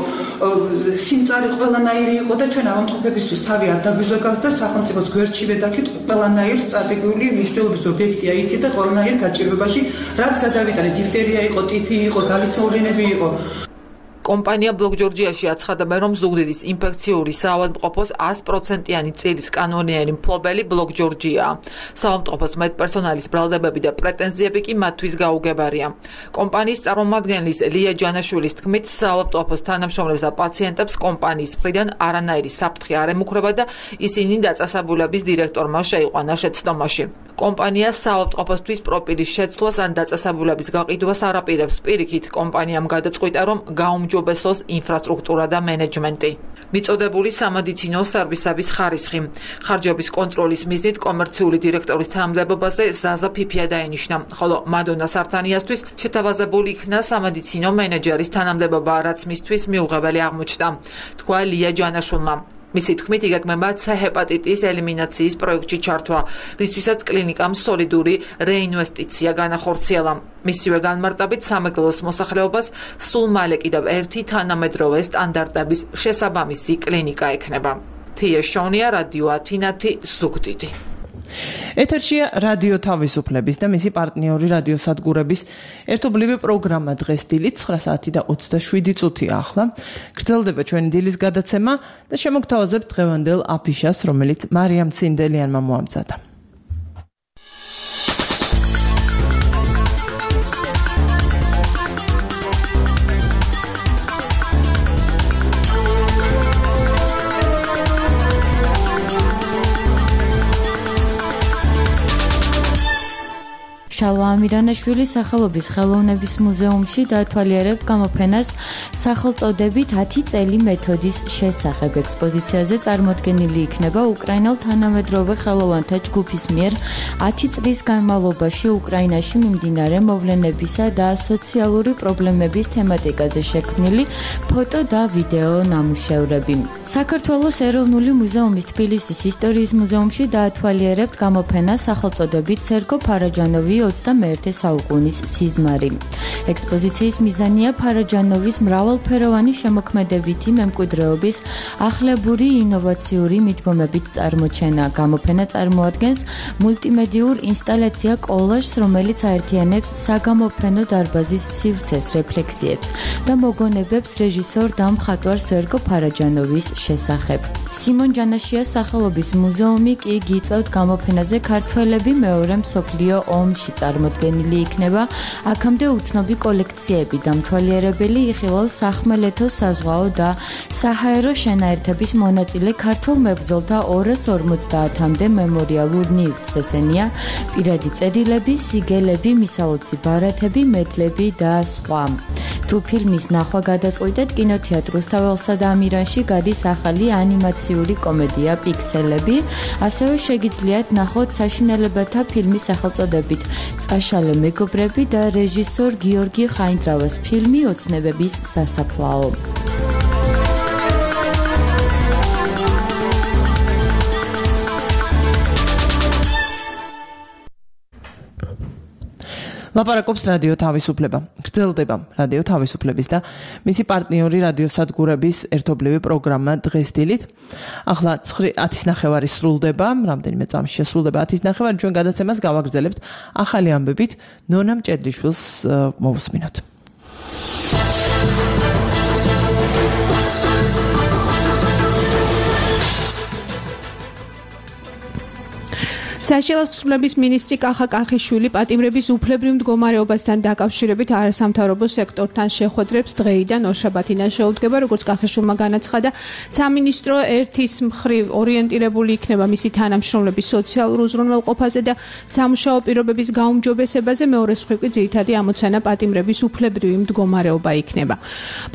სიმწარე ყველანაირი იყო და ჩვენ ავადმყოფებისთვის თავი არ დაგვიზოგავთ და სახელმწიფოს გვერდშივე დაქით ყველანაირ სტრატეგიული მნიშვნელობის ობიექტია იცით და ყველანაირ გაჭირვებაში რაც გადავიტანეთ, დიფტერია იყო, ტიფი იყო, გალისმოვლენები იყო. კომპანია ბლოკ ჯორჯიაში აცხადება, რომ ზუგდიდის ინფექციური საავადმყოფოს ას პროცენტიანი წილის კანონიანი მფლობელი ბლოკ ჯორჯიაა. საავადმყოფოს მედპერსონალის ბრალდებები და პრეტენზიები კი მათთვის გაუგებარია. კომპანიის წარმომადგენლის ლია ჯანაშვილის თქმით, საავადმყოფოს თანამშრომლებს და პაციენტებს კომპანიის მხრიდან არანაირი საფრთხე არ ემუქრება და ისინი დაწესებულების დირექტორმა შეიყვანა შეცდომაში. კომპანია საავადმყოფოსთვის პროფილის შეცვლას ან დაწესებულების გაყიდვას არ აპირებს. პირიქით, კომპანიამ გადაწყვიტა, რომ გაუმჯობესოს ინფრასტრუქტურა და მენეჯმენტი. მიწოდებული სამედიცინო სერვისების ხარისხი. ხარჯების კონტროლის მიზნით კომერციული დირექტორის თანამდებობაზე ზაზა ფიფია დაენიშნა, ხოლო მადონა სართანიასთვის შეთავაზებული იქნა სამედიცინო მენეჯერის თანამდებობა, რაც მისთვის მიუღებელი აღმოჩნდა, თქვა ლია ჯანაშვილმა. მისი თქმით, იგეგმება ცე ჰეპატიტის ელიმინაციის პროექტში ჩართვა, რისთვისაც კლინიკამ სოლიდური რეინვესტიცია განახორციელა. მისივე განმარტებით სამეგრელოს მოსახლეობას სულ მალე კიდევ ერთი თანამედროვე სტანდარტების შესაბამისი კლინიკა ექნება. თია შონია, რადიო ათინათი, ზუგდიდი. ეთერშია რადიო თავისუფლების და მისი პარტნიორი რადიოსადგურების ერთობლივი პროგრამა დღეს დილით ცხრა საათი და ოცდაშვიდი წუთია ახლა. გრძელდება ჩვენი დილის გადაცემა და შემოგთავაზებთ დღევანდელ აფიშას, რომელიც მარიამ ცინდელიანმა მოამზადა. შალვა ამირანაშვილის სახელობის ხელოვნების მუზეუმში დაათვალიერებთ გამოფენას სახელწოდებით ათი წელი მეთოდის შესახებ. ექსპოზიციაზე წარმოდგენილი იქნება უკრაინელ თანამედროვე ხელოვანთა ჯგუფის მიერ ათი წლის განმავლობაში უკრაინაში მიმდინარე მოვლენებისა და სოციალური პრობლემების თემატიკაზე შექმნილი ფოტო და ვიდეო ნამუშევრები. საქართველოს ეროვნული მუზეუმის თბილისის ისტორიის მუზეუმში დაათვალიერებთ გამოფენას სახელწოდებით სერგო ფარაჯანოვი ოცდამეერთე საუკუნის სიზმარი. ექსპოზიციის მიზანია ფარაჯანოვის მრავალფეროვანი შემოქმედებითი მემკვიდრეობის ახლებური ინოვაციური მიდგომებით წარმოჩენა. გამოფენა წარმოადგენს მულტიმედიურ ინსტალაცია კოლაჟს, რომელიც აერთიანებს საგამოფენო დარბაზის სივრცეს, რეფლექსიებს და მოგონებებს რეჟისორ და მხატვარ სერგო ფარაჯანოვის შესახებ. სიმონ ჯანაშიას სახელობის მუზეუმი კი გიწევთ გამოფენაზე ქართველები მეორე მსოფლიო ომში წარმოდგენილი იქნება. აქამდე უცნობი კოლექციები დამთვალიერებელი იხილავს სახმელეთო, საზღვაო და საჰაერო შენაერთების მონაწილე ქართულ მებრძოლთა ორას ორმოცდაათამდე მემორიალურ ნივთს. ესენია პირადი წერილები, სიგელები, მისაოცი ბარათები, მედლები და სხვა. თუ ფილმის ნახვა გადაწყვიტეთ, კინოთეატრ რუსთაველსა და ამირანში გადის ახალი ანიმაციური კომედია პიქსელები, ასევე შეგიძლიათ ნახოთ საშინელებათა ფილმის სახელწოდებით წაშალე მეგობრები და რეჟისორ გიორგი ხაინდრავას ფილმი ოცნებების სასაფლაო. ლაპარაკობს რადიო თავისუფლება. გრძელდება რადიო თავისუფლების და მისი პარტნიორი რადიოსადგურების ერთობლივი პროგრამა დღეს დილით. ახლა ათის ნახევარი სრულდება, რამდენიმე წამში შესრულდება ათის ნახევარი, ჩვენ გადაცემას გავაგრძელებთ ახალი ამბებით ნონა მჭედლიშვილს მოვუსმინოთ. საშიალოსნების მინისტრი კახა კახიშვილი პატიმრების უფლებრივ მდგომარეობასთან დაკავშირებით არასამთავრობო სექტორთან შეხვედრებს დღეიდან ორშაბათიდან შეუდგება, როგორც კახიშვილმა განაცხადა, სამინისტრო ერთის მხრივ ორიენტირებული იქნება მისი თანამშრომლების სოციალურ უზრუნველყოფაზე და სამუშაო პირობების გაუმჯობესებაზე, მეორეს მხრივ კი ძირითადი ამოცანა პატიმრების უფლებრივი მდგომარეობა იქნება.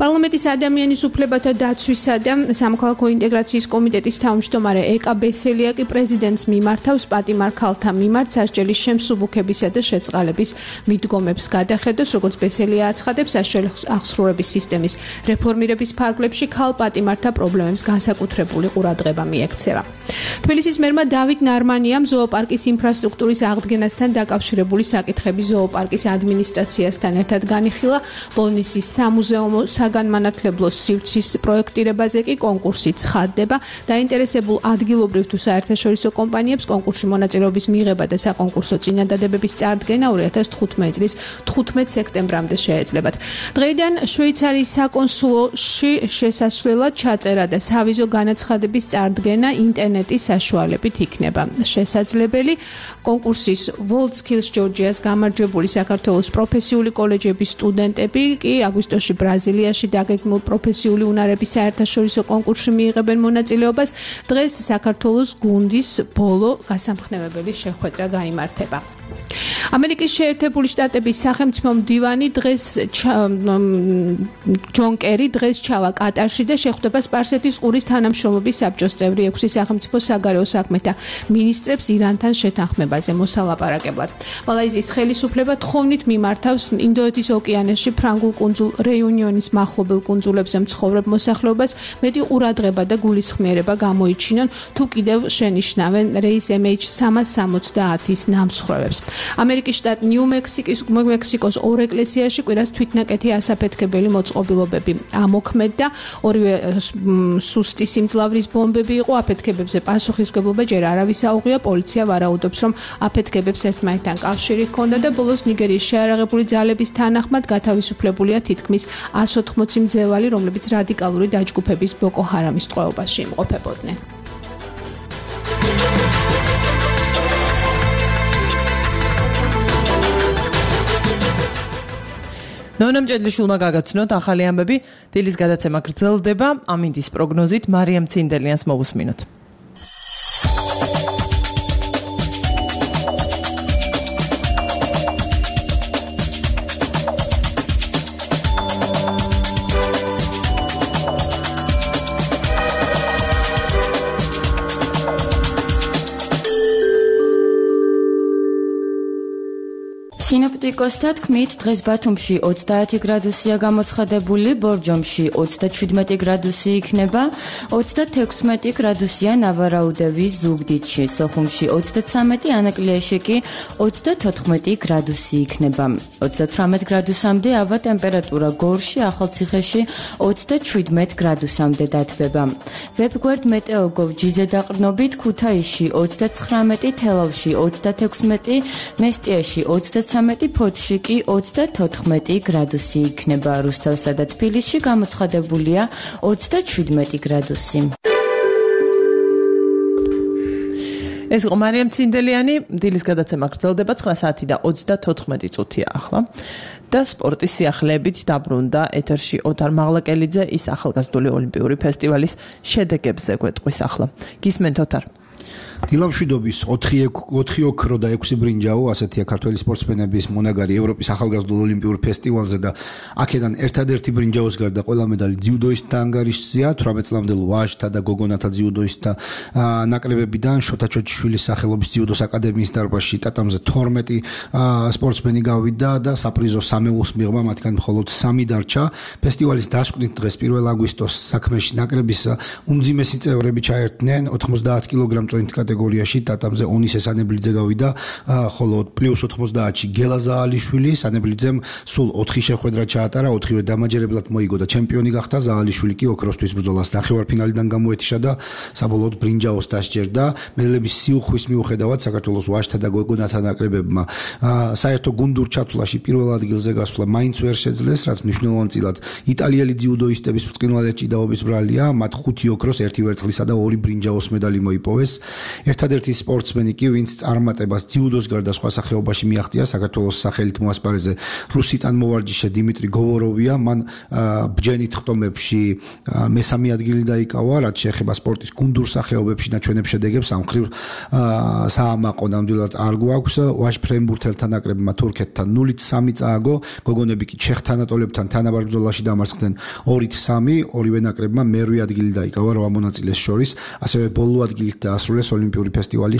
პარლამენტის ადამიანის უფლებათა დაცვისა და სამოქალაქო ინტეგრაციის კომიტეტის თავმჯდომარე ეკა ბესელია კი პრეზიდენტს მიმართავს პატიმრ ქალთა მიმართ სასჯელის შემსუბუქებისა და შეწყალების მიდგომებს გადახედოს, როგორც ბესელია აცხადებს, სასჯელი აღსრულების სისტემის რეფორმირების ფარგლებში ქალ პატიმართა პრობლემებს განსაკუთრებული ყურადღება მიექცევა. თბილისის მერმა დავით ნარმანიამ ზოოპარკის ინფრასტრუქტურის აღდგენასთან დაკავშირებული საკითხები ზოოპარკის ადმინისტრაციასთან ერთად განიხილა. ბოლნისის სამუზეუმო საგანმანათლებლო სივრცის პროექტირებაზე კი კონკურსი ცხადდება. დაინტერესებულ ადგილობრივ თუ საერთაშორისო კომპანიებს კონკურსში მონაწილეობის მიღება და საკონკურსო წინადადებების წარდგენა ორი ათას თხუთმეტი წლის თხუთმეტ სექტემბრამდე შეეძლებათ. დღეიდან შვეიცარიის საკონსულოში შესასვლელად ჩაწერა და სავიზო განაცხადების წარდგენა ინტერნეტის საშუალებით იქნება შესაძლებელი. კონკურსის WorldSkills Georgia's გამარჯვებული საქართველოს პროფესიული კოლეჯების სტუდენტები კი აგვისტოში ბრაზილიაში დაგეგმილ პროფესიული უნარების საერთაშორისო კონკურსში მიიღებენ მონაწილეობას. დღეს საქართველოს გუნდის ბოლო გასამხნევებელი შეხვედრა გაიმართება. ამერიკის შეერთებული შტატების სახელმწიფო მდივანი დღეს ჯონ კერი დღეს ჩავა კატარში და შეხვდება სპარსეთის ყურის თანამშრომლობის საბჭოს წევრი ექვსი სახელმწიფო საგარეო საქმეთა მინისტრებს ირანთან შეთანხმებაზე მოსალაპარაკებლად. მალაიზიის ხელისუფლება თხოვნით მიმართავს ინდოეთის ოკეანეში ფრანგულ კუნძულ რეიუნიონის მახლობელ კუნძულებზე მცხოვრებ მოსახლეობას მეტი ყურადღება და გულისხმიერება გამოიჩინონ, თუ კიდევ შენიშნავენ რეის ემ ეიჩ სამას სამოცდაათის ნამსხვრევებს. ამერიკის შტატ ნიუ-მექსიკის მექსიკოს ორ ეკლესიაში კვირას თვითნაკეთი ასაფეთქებელი მოწყობილობები ამოქმედდა. ორივე სუსტი სიმძლავრის ბომბები იყო. აფეთქებებზე პასუხისმგებლობა ჯერ არავის აუღია. პოლიცია ვარაუდობს, რომ აფეთქებებს ერთმანეთთან კავშირი ჰქონდა და ბოლოს ნიგერიის შეარაღებული ძალების თანახმად გათავისუფლებულია თითქმის ას ოთხმოცი მძევალი, რომლებიც რადიკალური დაჯგუფების ბოკო ჰარამის ტყვეობაში იმყოფებოდნენ. ნონა მჭედლიშვილმა გაგაცნოთ ახალი ამბები. დილის გადაცემა გრძელდება. ამინდის პროგნოზით მარიამ ცინდელიანს მოვუსმინოთ. სინოპტიკოსთა თქმით, დღეს ბათუმში ოცდაათი გრადუსია გამოცხადებული, ბორჯომში ოცდაჩვიდმეტი გრადუსი იქნება, ოცდათექვსმეტი გრადუსია ნავარაუდევის ზუგდიდში, სოხუმში ოცდაცამეტი, ანაკლიაში კი ოცდათოთხმეტი გრადუსი იქნება. ოცდათვრამეტ გრადუსამდე ავა ტემპერატურა გორში, ახალციხეში ოცდაჩვიდმეტ გრადუსამდე დათბება. ვებგვერდ მეტეოგოვ ჯიზე დაყრდნობით ქუთაისში ოცდაცხრამეტი, თელავში ოცდათექვსმეტი, მესტიაში ოცდაცამეტი, ფოთში კი ოცდათოთხმეტი გრადუსი იქნება. რუსთავსა და თბილისში გამოცხადებულია ოცდაჩვიდმეტი გრადუსი. ეს იყო მარიამ ცინდელიანი, დილის გადაცემა გრძელდება ცხრა საათი და ოცდათოთხმეტი წუთია ახლა. და სპორტის სიახლეებით დაბრუნდა ეთერში ოთარ მაღლაკელიძე, ის ახალგაზრდული ოლიმპიური ფესტივალის შედეგებზე გვეტყვის ახლა. გისმენთ ოთარ. დილამშვიდობის ოთხი ოქრო და ექვსი ბრინჯაო, ასეთია ქართველი სპორტსმენების მონაგარი ევროპის ახალგაზრდულ ოლიმპიურ ფესტივალზე და აქედან ერთადერთი ბრინჯაოს გარდა ყველა медаლი ძიუდოისტთა ანგარიშზეა, თვრამეტ წლამდელ ვაჟთა და გოგონათა ძიუდოისტთა ნაკრებებიდან, შოთა ჩოჩიშვილის სახელობის ძიუდოს აკადემიის დარბაზში ტატამზე თორმეტი სპორტსმენი გავიდა და საპრიზო სამეულს მიღმა, მათგან მხოლოდ სამი დარჩა. ფესტივალის დასკვნით დღეს პირველ აგვისტოს საქმეში ნაკრების უმძიმესი წევრები ჩაერთნენ ოთხმოცდაათ კილოგრამ წონით კატეგორიაში, ტატამზე ონისე სანებლიძე გავიდა, ხოლო პლუს ოთხმოცდაათში გელა ზაალიშვილი, სანებლიძემ სულ ოთხი შეხვედრა ჩაატარა, ოთხივე დამაჯერებლად მოიგო და ჩემპიონი გახდა. ზაალიშვილი კი ოქროსთვის ბრძოლას ნახევარფინალიდან გამოეთიშა და საბოლოოდ ბრინჯაოს დასჯერდა. მედლების სიუხვის მიუხედავად საქართველოს ვაჟთა და გოგონათა ნაკრებებმა საერთო გუნდურ ჩათვლაში პირველ ადგილზე გასვლა მაინც ვერ შეძლეს, რაც მნიშვნელოვანწილად იტალიელი ძიუდოისტების ბრწყინვალე ჭიდაობის ბრალია, მათ ხუთი ოქროს, ერთი ვერცხლისა და ორი ბრინჯაოს медаლი მოიპოვეს. ერთადერთი სპორტსმენი კი, ვინც წარმატებას ძიუდოს გარდა სხვა სახეობაში მიაღწია, საქართველოს სახელით მოასპარეზე რუსი ტანმოვარჯიშე დიმიტრი გოვოროვია, მან ბჯენით ხტომებში მესამე ადგილი დაიკავა, რაც შეეხება სპორტის გუნდურ სახეობებში ნაჩვენებ შედეგებს ამ მხრივ საამაყო ნამდვილად არ გვაქვს. ვაჟ ფრენბურთელთა ნაკრებმა თურქეთთან ნულით სამი წააგო, გოგონები კი ჩეხ თანატოლებთან თანაბარ ბრძოლაში დამარცხდნენ ორით სამი, ორივე ნაკრებმა მერვე ადგილი დაიკავა რვა მონაწილეს შორის, ასევე ბოლო ადგილით დაასრულეს ოლიმპიური ფესტივალი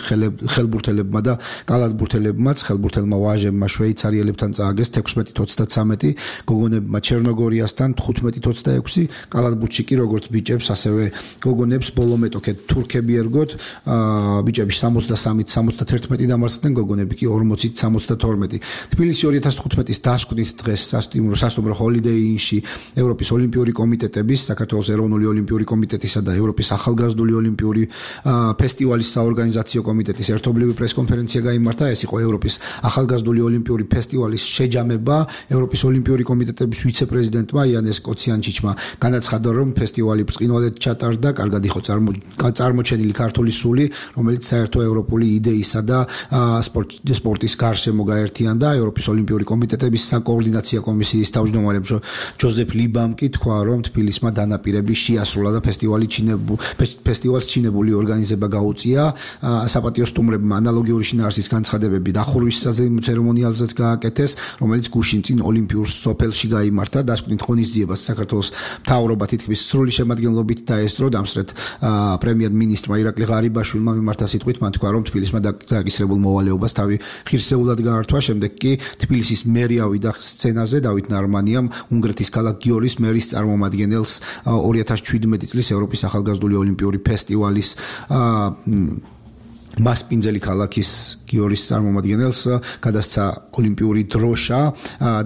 ხელბურთელებმა და კალათბურთელებმაც. ხელბურთელმა ვაჟებმა შვეიცარიელებთან წააგეს თექვსმეტით ოცდაცამეტი, გოგონებმა ჩერნოგორიასთან თხუთმეტით ოცდაექვსი, კალათბურთში კი როგორც ბიჭებს, ასევე გოგონებს ბოლო მეტოქედ თურქები ერგოთ, ბიჭები სამოცდასამით სამოცდათერთმეტი დამარცხდნენ, გოგონები კი ორმოცით სამოცდათორმეტი. თბილისი ორი ათას თხუთმეტის დასკვნით დღეს სასტუმრო სასტუმრო ჰოლიდეი ინში ევროპის ოლიმპიური კომიტეტების, საქართველოს ეროვნული ოლიმპიური კომიტეტისა და ევროპის ახალგაზრდული ოლიმპიური ფესტივალის საორგანიზაციო კომიტეტის ერთობლივი პრესკონფერენცია გაიმართა. ეს იყო ევროპის ახალგაზრდული ოლიმპიური ფესტივალის შეჯამება. ევროპის ოლიმპიური კომიტეტების ვიცე-პრეზიდენტმა იანეს კოციანჩიჩმა განაცხადა, რომ ფესტივალი ბრწყინვალედ ჩატარდა, კარგად იყო წარმოჩენილი ქართული სული, რომელიც საერთო ევროპული იდეისა და სპორტის გარშემო გაერთიანდა. ევროპის ოლიმპიური კომიტეტების საკოორდინაციო კომისიის თავმჯდომარე ჯოზეფ ლიბამ კი თქვა, რომ თბილისმა დანაპირები შეასრულა და ფესტივალი ფესტივალს ჩინებული ორგანიზება გაუწია. საპატიო სტუმრებმა ანალოგიური შინაარსის განცხადებები დახურვის ცერემონიალზეც გააკეთეს, რომელიც გუშინ წინ ოლიმპიურ სოფელში გაიმართა. დასკვნით ღონისძიებას საქართველოს მთავრობა თითქმის სრული შემადგენლობით დაესწრო. დამსწრეთ პრემიერ-მინისტრმა ირაკლი ღარიბაშვილმა მიმართა სიტყვით, მან თქვა, რომ თბილისმა დაკისრებულ მოვალეობას თავი ღირსეულად გაართვა. შემდეგ კი თბილისის მერი ავიდა სცენაზე, დავით ნარმანიამ უნგრეთის ქალაქ გიორის მერის წარმომადგენელს ორი ათას შვიდმეტი წლის ევროპის ახალგაზრდული ოლიმპიური ფესტივალის მასპინძელი ქალაქის გიორის წარმომადგენელს გადასცა ოლიმპიური დროშა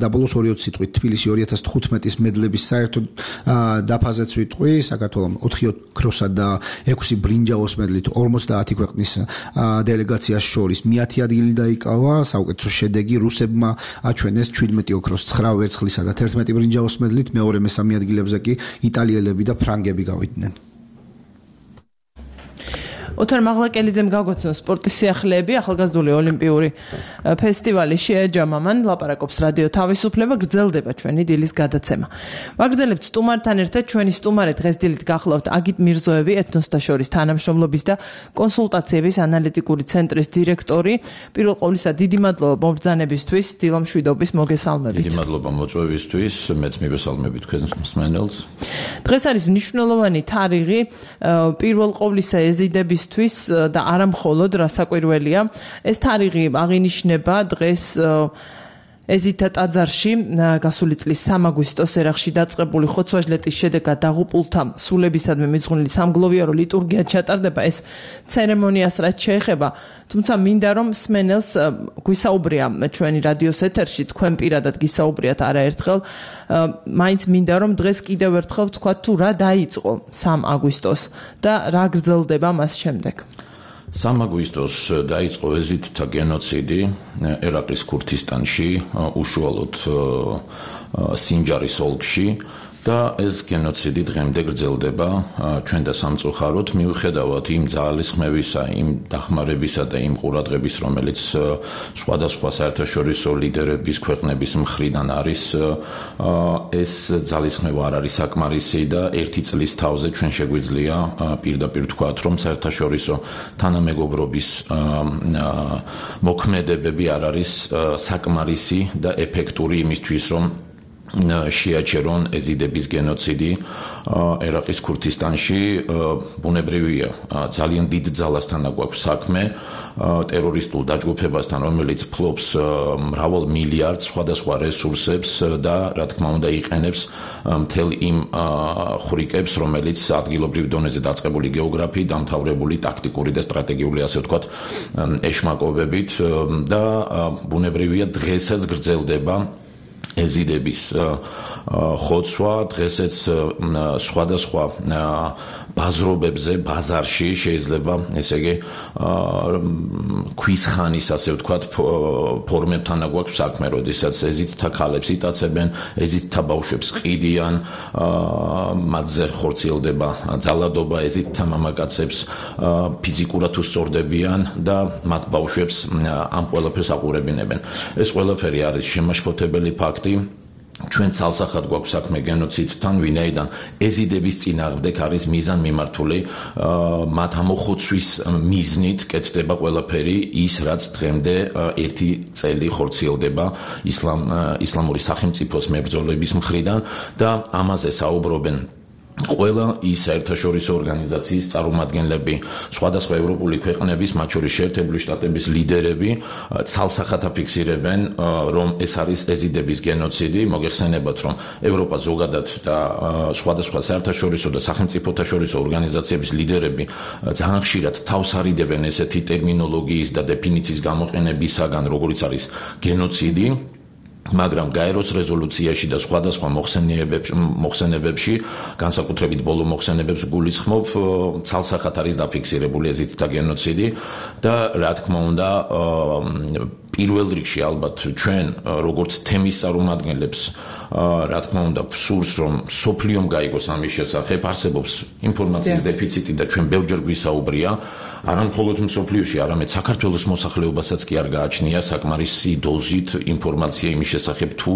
და ბოლოს ორი სიტყვით თბილისი ორი ათას თხუთმეტის მედლების საერთო დაფაზეც ვიტყვი. საქართველოს ოთხი ოქროსა და ექვსი ბრინჯაოს მედლით ორმოცდაათი ქვეყნის დელეგაციას შორის მეათე ადგილი დაიკავა. საუკეთესო შედეგი რუსებმა აჩვენეს შვიდმეტი ოქროს, ცხრა ვერცხლისა და თერთმეტი ბრინჯაოს მედლით, მეორე მესამე ადგილებზე კი იტალიელები და ფრანგები გავიდნენ. ოთარ მაღლაკელიძემ გაგვაცნო სპორტის სიახლეები, ახალგაზრდული ოლიმპიური ფესტივალი შეეჯამა, მან ლაპარაკობს რადიო თავისუფლება, გრძელდება ჩვენი დილის გადაცემა. ვაგრძელებთ სტუმართან ერთად, ჩვენი სტუმარი დღეს დილით გახლავთ აგიტ მირზოევი, ეთნოსთა შორის თანამშრომლობის და კონსულტაციების ანალიტიკური ცენტრის დირექტორი. პირველ ყოვლისა დიდი მადლობა მობრძანებისთვის, დილამშვიდობის მოგესალმებით. დიდი მადლობა მოწვევისთვის, მეც მივესალმები თქვენს მსმენელს. დღეს არის მნიშვნელოვანი თარიღი, პირველ ყოვლისა ეზიდების და არა მხოლოდ რასაკვირველია, ეს თარიღი აღინიშნება დღეს ეზითა ტაძარში გასული წლის სამი აგვისტოს ერახში დაწყებული ხოცვაჟლეტის შედეგად დაღუპულთა სულებისადმი მიძღვნილი სამგლოვიარო ლიტურგია ჩატარდება. ეს ცერემონიას რაც შეეხება, თუმცა მინდა რომ მსმენელს გვისაუბრია ჩვენი რადიოს ეთერში, თქვენ პირადად გისაუბრიათ არაერთხელ, მაინც მინდა რომ დღეს კიდევ ერთხელ ვთქვათ თუ რა დაიწყო სამი აგვისტოს და რა გრძელდება მას შემდეგ. სამი აგვისტოს დაიწყო ეზიდთა გენოციდი ერაყის ქურთისტანში, უშუალოდ სინჯარის ოლქში და ეს გენოციდი დღემდე გრძელდება ჩვენ და სამწუხაროდ მიუხედავად იმ ძალისხმევისა, იმ დახმარებისა და იმ ყურადღების, რომელიც სხვადასხვა საერთაშორისო ლიდერების ქვეყნების მხრიდან არის, ეს ძალისხმევა არ არის საკმარისი და ერთი წლის თავზე ჩვენ შეგვიძლია პირდაპირ ვთქვათ, რომ საერთაშორისო თანამეგობრობის მოქმედებები არ არის საკმარისი და ეფექტური იმისთვის, რომ შეაჩერონ ეზიდების გენოციდი ერაყის ქურთისტანში. ბუნებრივია, ძალიან დიდ ძალასთან აგვაქვს საქმე, ტერორისტულ დაჯგუფებასთან, რომელიც ფლობს მრავალ მილიარდ სხვადასხვა რესურსებს და რა თქმა უნდა იყენებს მთელ იმ ხვრიკებს, რომელიც ადგილობრივ დონეზე დაწყებული გეოგრაფიით, დამთავრებული ტაქტიკური და სტრატეგიული, ასე ვთქვათ, ეშმაკობებით და ბუნებრივია დღესაც გრძელდება ეზიდების ხოცვა, დღესაც სხვადასხვა ბაზრობებზე, ბაზარში შეიძლება, ესე იგი, ქვის ხანის, ასე ვთქვათ, ფორმებთან აგვაქვს საქმე, როდესაც ეზიდთა ქალებს იტაცებენ, ეზიდთა ბავშვებს ყიდიან, მათზე ხორციელდება ძალადობა, ეზიდთა მამაკაცებს ფიზიკურად უსწორდებიან და მათ ბავშვებს ამ ყველაფერს აყურებინებენ. ეს ყველაფერი არის შემაშფოთებელი ფაქტი. ჩვენ ცალსახად გვაქვს საქმე გენოციდთან, ვინაიდან ეზიდების წინააღმდეგ არის მიზანმიმართული მათ ამოხოცვის მიზნით კეთდება ყველაფერი ის, რაც დღემდე ერთი წელი ხორციელდება ისლამ ისლამური სახელმწიფოს მებრძოლების მხრიდან და ამაზე საუბრობენ ყველა ის საერთაშორისო ორგანიზაციის წარმომადგენლები, სხვადასხვა ევროპული ქვეყნების, მათ შორის შეერთებული შტატების ლიდერები ცალსახად აფიქსირებენ, რომ ეს არის ეზიდების გენოციდი. მოგეხსენებათ, რომ ევროპა ზოგადად და სხვადასხვა საერთაშორისო და სახელმწიფოთა შორისო ორგანიზაციების ლიდერები ძალიან ხშირად თავს არიდებენ ესეთი ტერმინოლოგიის და დეფინიციის გამოყენებისაგან, როგორიც არის გენოციდი. მაგრამ გაეროს რეზოლუციაში და სხვადასხვა მოხსენებებში, განსაკუთრებით ბოლო მოხსენებებს გულისხმობ, ცალსახად არის დაფიქსირებული ეზიდთა გენოციდი და რა თქმა უნდა, პირველ რიგში ალბათ ჩვენ როგორც თემის წარმომადგენლებს რა თქმა უნდა სურს რომ სოფლიომ გაიგოს ამის შესახებ, არსებობს ინფორმაციის დეფიციტი და ჩვენ ბევრჯერ გვისაუბრია, არა მხოლოდ სოფლიოში, არამედ საქართველოს მოსახლეობასაც კი არ გააჩნია საკმარისი დოზით ინფორმაცია იმის შესახებ თუ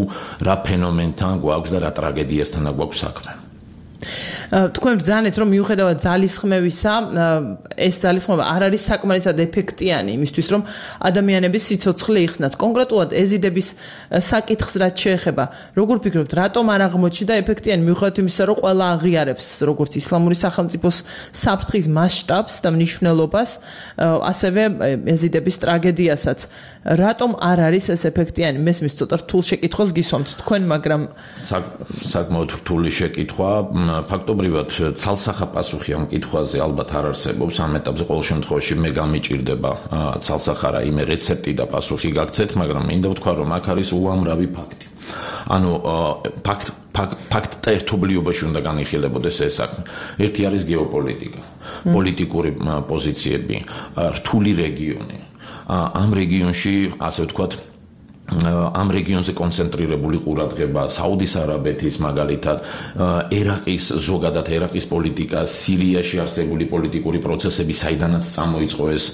რა ფენომენთან გვაქვს და რა ტრაგედიასთან გვაქვს საქმე. თქვენ ბრძანეთ, რომ მიუხედავად ძალისხმევისა, ეს ძალისხმევა არ არის საკმარისად ეფექტიანი იმისთვის, რომ ადამიანების სიცოცხლე იხსნათ. კონკრეტულად ეზიდების საკითხს რაც შეეხება, როგორ ფიქრობთ, რატომ არ აღმოჩნდა ეფექტიანი მიუხედავად იმისა, რომ ყველა აღიარებს როგორც ისლამური სახელმწიფოს საფრთხის მასშტაბს და მნიშვნელობას, ასევე ეზიდების ტრაგედიასაც. რატომ არ არის ეს ეფექტიანი? მესმის ცოტა რთულ შეკითხვას გისვამთ თქვენ, მაგრამ საკმაოდ რთული შეკითხვა. ფაქტობრივად ცალსახა პასუხი ამ კითხვაზე ალბათ არ არსებობს. ამ ეტაპზე ყოველ შემთხვევაში მე გამიჭირდება ცალსახა რაიმე რეცეპტი და პასუხი გაგცეთ, მაგრამ მინდა ვთქვა, რომ აქ არის უამრავი ფაქტი. ანუ ფაქტ ფაქტთა ერთობლიობაში უნდა განიხილებოდეს ეს საქმე. ერთი არის გეოპოლიტიკა, პოლიტიკური პოზიციები, რთული რეგიონი. ამ რეგიონში, ასე ვთქვათ, ამ რეგიონზე კონცენტრირებული ყურადღება, საუდის არაბეთის მაგალითად, ერაყის ზოგადად ერაყის პოლიტიკა, სირიაში არსებული პოლიტიკური პროცესები, საიდანაც წამოიწყო ეს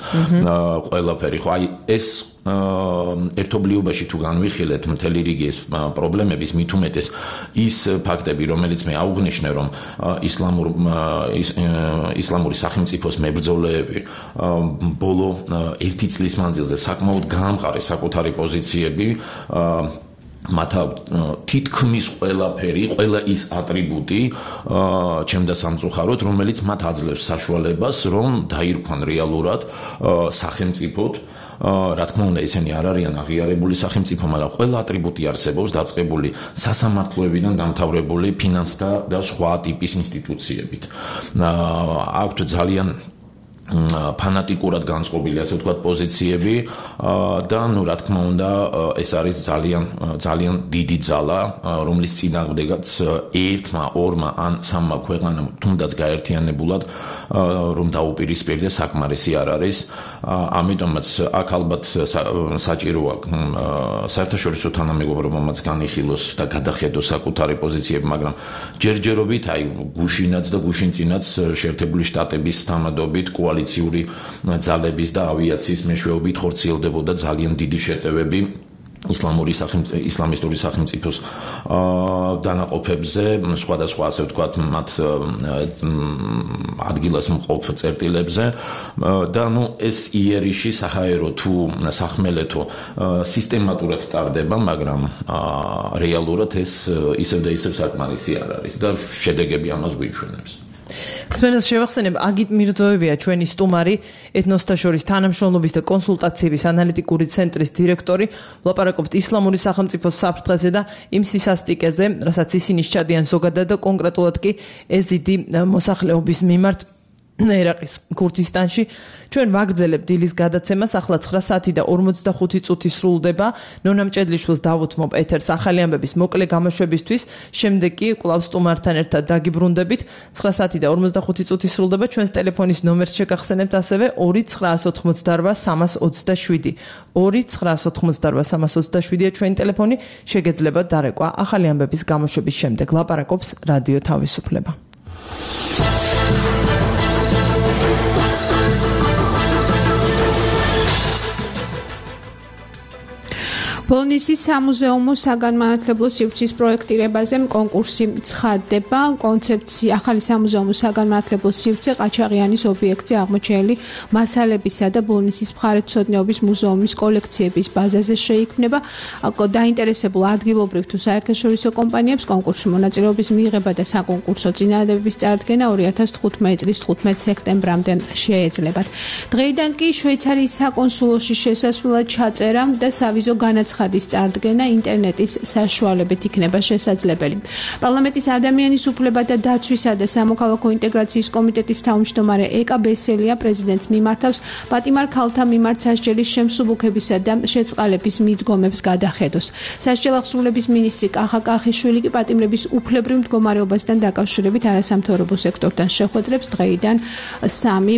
ყველაფერი. ხო, აი ეს ერთობლიობაში თუ განვიხილეთ მთელი რიგი ეს პრობლემების, მით უმეტეს ის ფაქტები, რომელიც მე აუღნიშნე, რომ ისლამურ ისლამური სახელმწიფოს მებრძოლეები ბოლო ერთი წლის მანძილზე საკმაოდ გაამყარეს საკუთარი პოზიციები, მათ თითქმის ყველაფერი, ყველა ის ატრიბუტი ჩემდა სამწუხაროდ, რომელიც მათ აძლევს საშუალებას, რომ დაირქვან რეალურად სახელმწიფოდ. რა თქმა უნდა, ისინი არ არიან აღიარებული სახელმწიფო, მაგრამ ყველა ატრიბუტი არსებობს დაწყებული სასამართლოებიდან დამთავრებული ფინანსთა და სხვა ტიპის ინსტიტუციებით. აქვთ ძალიან ფანატიკურად განწყობილი, ასე ვთქვათ, პოზიციები და ნუ რა თქმა უნდა, ეს არის ძალიან ძალიან დიდი ძალა, რომლის წინააღმდეგაც ერთმა, ორმა ან სამმა ქვეყანამ თუნდაც გაერთიანებულად რომ დაუპირისპირდეს, საკმარისი არ არის. ამიტომაც აქ ალბათ საჭიროა საერთაშორისო თანამეგობრობამაც განიხილოს და გადახედოს საკუთარი პოზიციები, მაგრამ ჯერჯერობით აი გუშინაც და გუშინწინაც შეერთებული შტატების თანამედობით კოალიციური ძალების და ავიაციის მეშვეობით ხორციელდებოდა ძალიან დიდი შეტევები ისლამური ისლამისტური სახელმწიფოს დანაყოფებზე, სხვადასხვა ასე ვთქვათ, მათ ადგილას მყოფ წერტილებზე და ნუ ეს იერიში საჰაერო თუ სახმელეთო სისტემატურად ტარდება, მაგრამ რეალურად ეს ისევ და ისევ საკმარისი არ არის და შედეგები ამას გვიჩვენებს. სპენელს შევახსენებ, აგიტ მირზოევია ჩვენი სტუმარი, ეთნოსთა შორის თანამშრომლობის და კონსულტაციების ანალიტიკური ცენტრის დირექტორი. ვლაპარაკობთ ისლამური სახელმწიფოს საფრთხეზე და იმ სისასტიკეზე, რასაც ისინი სჩადიან ზოგადად და კონკრეტულად კი ეზიდი მოსახლეობის მიმართ ერაყის ქურთისტანში. ჩვენ ვაგრძელებთ დილის გადაცემას, ახლა ცხრა საათი და ორმოცდახუთი წუთი სრულდება. ნონა მჭედლიშვილს დავუთმობ ეთერს ახალი ამბების მოკლე გამოშვებისთვის, შემდეგ კი კვლავ სტუმართან ერთად დაგიბრუნდებით. ცხრა საათი და ორმოცდახუთი წუთი სრულდება. ჩვენს ტელეფონის ნომერს შეგახსენებთ ასევე ორი ცხრაას ოცდაოთხმოცდაარბა სამას ოცდაშვიდი. ორი ცხრაას ოცდაოთხმოცდაარბა სამას ოცდაშვიდია ჩვენი ტელეფონი, შეგეძლებათ დარეკვა ახალი ამბების გამოშვების შემდეგ. ლაპარაკობს რადიო თავისუფლება. ბოლნისის სამუზეუმო საგანმანათლებლო სივრცის პროექტირებაზე კონკურსი ცხადდება. კონცეფცია ახალი სამუზეუმო საგანმანათლებლო სივრცე ყაჩაღიანის ობიექტზე აღმოჩენილი მასალებისა და ბოლნისის მხარეთმცოდნეობის მუზეუმის კოლექციების ბაზაზე შეიქმნება. დაინტერესებულ ადგილობრივ თუ საერთაშორისო კომპანიებს კონკურსში მონაწილეობის მიღება და საკონკურსო წინადადების წარდგენა ორი ათას თხუთმეტი წლის თხუთმეტ სექტემბრამდე შეეძლებათ. დღეიდან კი შვეიცარიის საკონსულოში შესასვლელად ჩაწერა და სავიზო განაცხადის ხადის წარდგენა ინტერნეტის საშუალებით იქნება შესაძლებელი. პარლამენტის ადამიანის უფლებათა დაცვისა და სამოქალაქო ინტეგრაციის კომიტეტის თავმჯდომარე ეკა ბესელია პრეზიდენტს მიმართავს პატიმარ ქალთა მიმართ სასჯელის შემსუბუქებისა და შეწყალების მიდგომებს გადახედოს. სასჯელახსრულების მინისტრი კახა კახიშვილი კი პატიმრების უფლებრივ მდგომარეობასთან დაკავშირებით არასამთავრობო სექტორთან შეხვედრებს დღეიდან სამი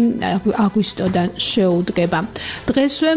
აგვისტოდან შეუდგება. დღესვე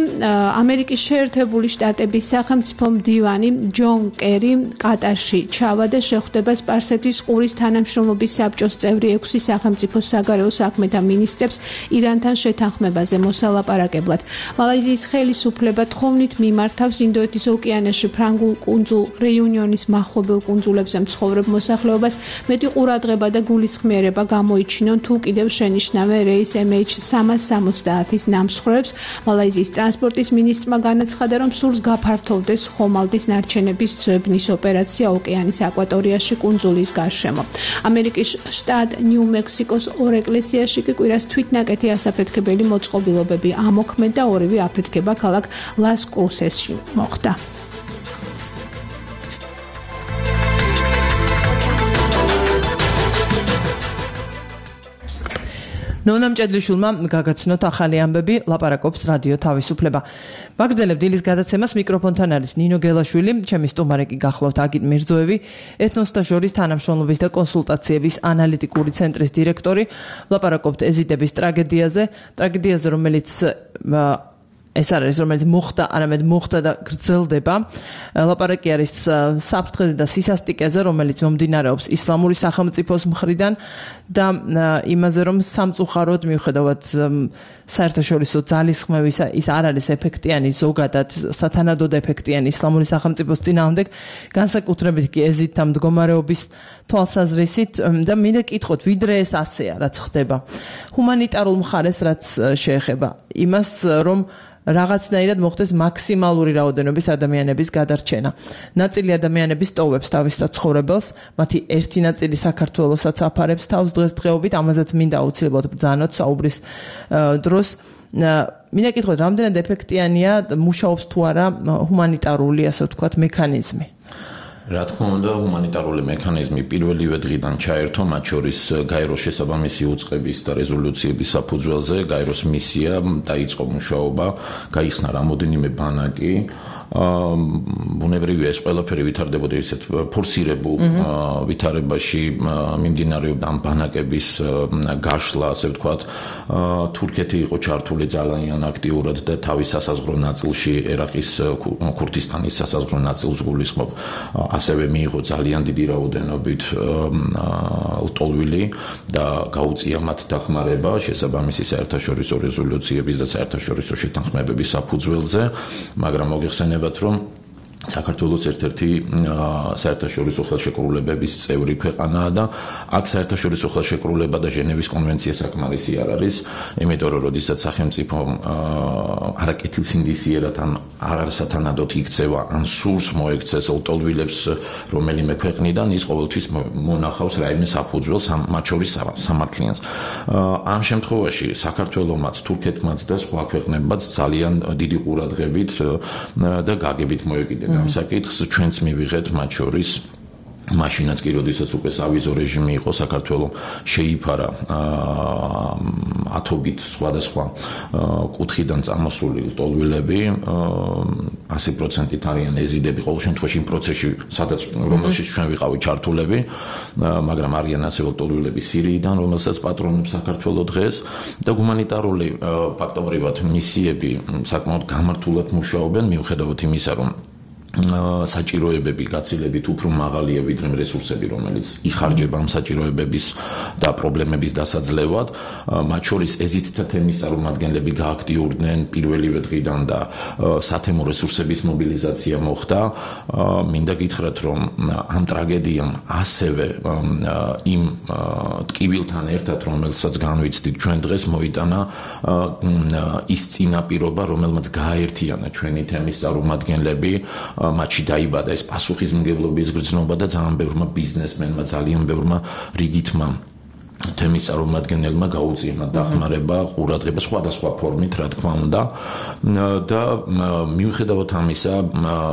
ამერიკის შეერთებული შტატების სახელმწიფო მდივანი ჯონ კერი კატარში ჩავა და შეხვდება სპარსეთის ყურის თანამშრომლობის საბჭოს წევრი ექვსი სახელმწიფო საგარეო საქმეთა მინისტრებს ირანთან შეთანხმებაზე მოსალაპარაკებლად. მალაიზიის ხელისუფლება თხოვნით მიმართავს ინდოეთის ოკეანეში ფრანგულ კუნძულ რეიუნიონის მახლობელ კუნძულებზე მცხოვრებ მოსახლეობას მეტი ყურადღება და გულისხმიერება გამოიჩინონ თუ კიდევ შენიშნავენ რეის ემ ეიჩ სამას სამოცდაათის ნამსხვრევებს. მალაიზიის ტრანსპორტის მინისტრმა განაცხადა, რომ სურს გაფართოვდეს ხომალდის ნარჩენების ძებნის ოპერაცია ოკეანის აკვატორიაში კუნძულის გარშემო. ამერიკის შტატ ნიუ-მექსიკოს ორ ეკლესიაში კი კვირას თვითნაკეთი ასაფეთქებელი მოწყობილობები ამოქმედ და ორივე აფეთქება ქალაქ ლას კრუსესში მოხდა. ნონა მჭედლიშვილმა გაგაცნოთ ახალი ამბები, ლაპარაკობს რადიო თავისუფლება. ვაგრძელებთ დილის გადაცემას, მიკროფონთან არის ნინო გელაშვილი, ჩემი სტუმარი კი გახლავთ აგიტ მირზოევი, ეთნოსთა შორის თანამშრომლობის და კონსულტაციების ანალიტიკური ცენტრის დირექტორი. ლაპარაკობთ ეზიდების ტრაგედიაზე, ტრაგედიაზე, რომელიც ეს არის, რომელიც მოხდა, არამედ მოხდა და გრძელდება. ლაპარაკი არის საფრთხეზე და სისასტიკეზე, რომელიც მომდინარეობს ისლამური სახელმწიფოს მხრიდან და იმაზე, რომ სამწუხაროდ მიუხედავად საერთაშორისო ძალისხმევისა, ის არ არის ეფექტიანი ზოგადად, სათანადოდ ეფექტიანი ისლამური სახელმწიფოს წინააღმდეგ, განსაკუთრებით კი ეზიდთა მდგომარეობის თვალსაზრისით და მინდა კითხოთ, ვიდრე ეს ასეა, რაც ხდება. ჰუმანიტარულ მხარეს რაც შეეხება იმას, რომ რაღაცნაირად მოხდეს მაქსიმალური რაოდენობის ადამიანების გადარჩენა. ნაწილი ადამიანების ტოვებს თავის საცხოვრებელს, მათი ერთი ნაწილი საქართველოსაც აფარებს თავს დღესდღეობით, ამაზეც მინდა აუცილებლად ბრძანოთ საუბრის დროს. მინდა კითხოთ, რამდენად ეფექტიანია მუშაობს თუ არა ჰუმანიტარული, ასე ვთქვათ, მექანიზმი? რა თქმა უნდა, ჰუმანიტარული მექანიზმი პირველივე დღიდან ჩაერთო, მათ შორის გაეროს შესაბამისი უწყების და რეზოლუციების საფუძველზე, გაეროს მისია დაიწყო მუშაობა, გაიხსნა რამოდენიმე ბანაკი. ბუნებრივია ეს ყველაფერი ვითარდებოდა ისეთ ფორსირებულ ვითარებაში მიმდინარეობდა ამ ბანაკების გაშლა, ასე ვთქვათ, თურქეთი იყო ჩართული ძალიან აქტიურად და თავის სასაზღვრო ნაწილში, ერაყის ქურთისტანის სასაზღვრო ნაწილს გულისხმობ, ასევე მიიღო ძალიან დიდი რაოდენობით ლტოლვილი და გაუწია მათ დახმარება შესაბამისი საერთაშორისო რეზოლუციების და საერთაშორისო შეთანხმებების საფუძველზე, მაგრამ მოგეხსენებათ რომ საქართველოს ერთ-ერთი საერთაშორისო ხელშეკრულებების წევრი ქვეყანაა და აქ საერთაშორისო ხელშეკრულება და ჟენევის კონვენცია საკმარისი არ არის, იმიტომ რომ როდესაც სახელმწიფო არაკეთილსინდისიერად ან არასათანადოდ იქცევა ან სურს მოექცეს ლტოლვილებს რომელიმე ქვეყნიდან, ის ყოველთვის მონახავს რაიმე საფუძველს, მათ შორის სამართლიანს. ამ შემთხვევაში საქართველომაც, თურქეთმაც და სხვა ქვეყნებმაც ძალიან დიდი ყურადღებით და გაგებით მოეკიდნენ ამ საკითხს, ჩვენც მივიღეთ მათ შორის მაშინაც კი როდესაც უკვე სავიზო რეჟიმი იყო, საქართველო შეიფარა ათობით სხვადასხვა კუთხიდან წამოსული ლტოლვილები, ასი პროცენტით არიან ეზიდები, ყოველ შემთხვევაში იმ პროცესში, სადაც რომელშიც ჩვენ ვიყავით ჩართულები, მაგრამ არიან ასევე ლტოლვილები სირიიდან, რომელსაც პატრონობს საქართველო დღეს და ჰუმანიტარული ფაქტობრივად მისიები საკმაოდ გამართულად მუშაობენ, მიუხედავად იმისა, რომ საჭიროებები გაცილებით უფრო მაღალია ვიდრე რესურსები, რომელიც იხარჯება ამ საჭიროებების და პრობლემების დასაძლევად. მათ შორის ეზიდთა თემის წარმომადგენლები გააქტიურდნენ პირველივე დღიდან და სათემო რესურსების მობილიზაცია მოხდა. მინდა გითხრათ, რომ ამ ტრაგედიამ ასევე იმ ტკივილთან ერთად, რომელსაც განვიცდით ჩვენ დღეს, მოიტანა ის წინაპირობა, რომელმაც გააერთიანა ჩვენი თემის წარმომადგენლები. მათში დაიბადა ეს პასუხისმგებლობის გრძნობა და ძალიან ბევრმა ბიზნესმენმა, ძალიან ბევრმა რიგითმა თემის წარმომადგენელმა გაუწია მათ დახმარება, ყურადღება სხვადასხვა ფორმით, რა თქმა უნდა. და მიუხედავად ამისა,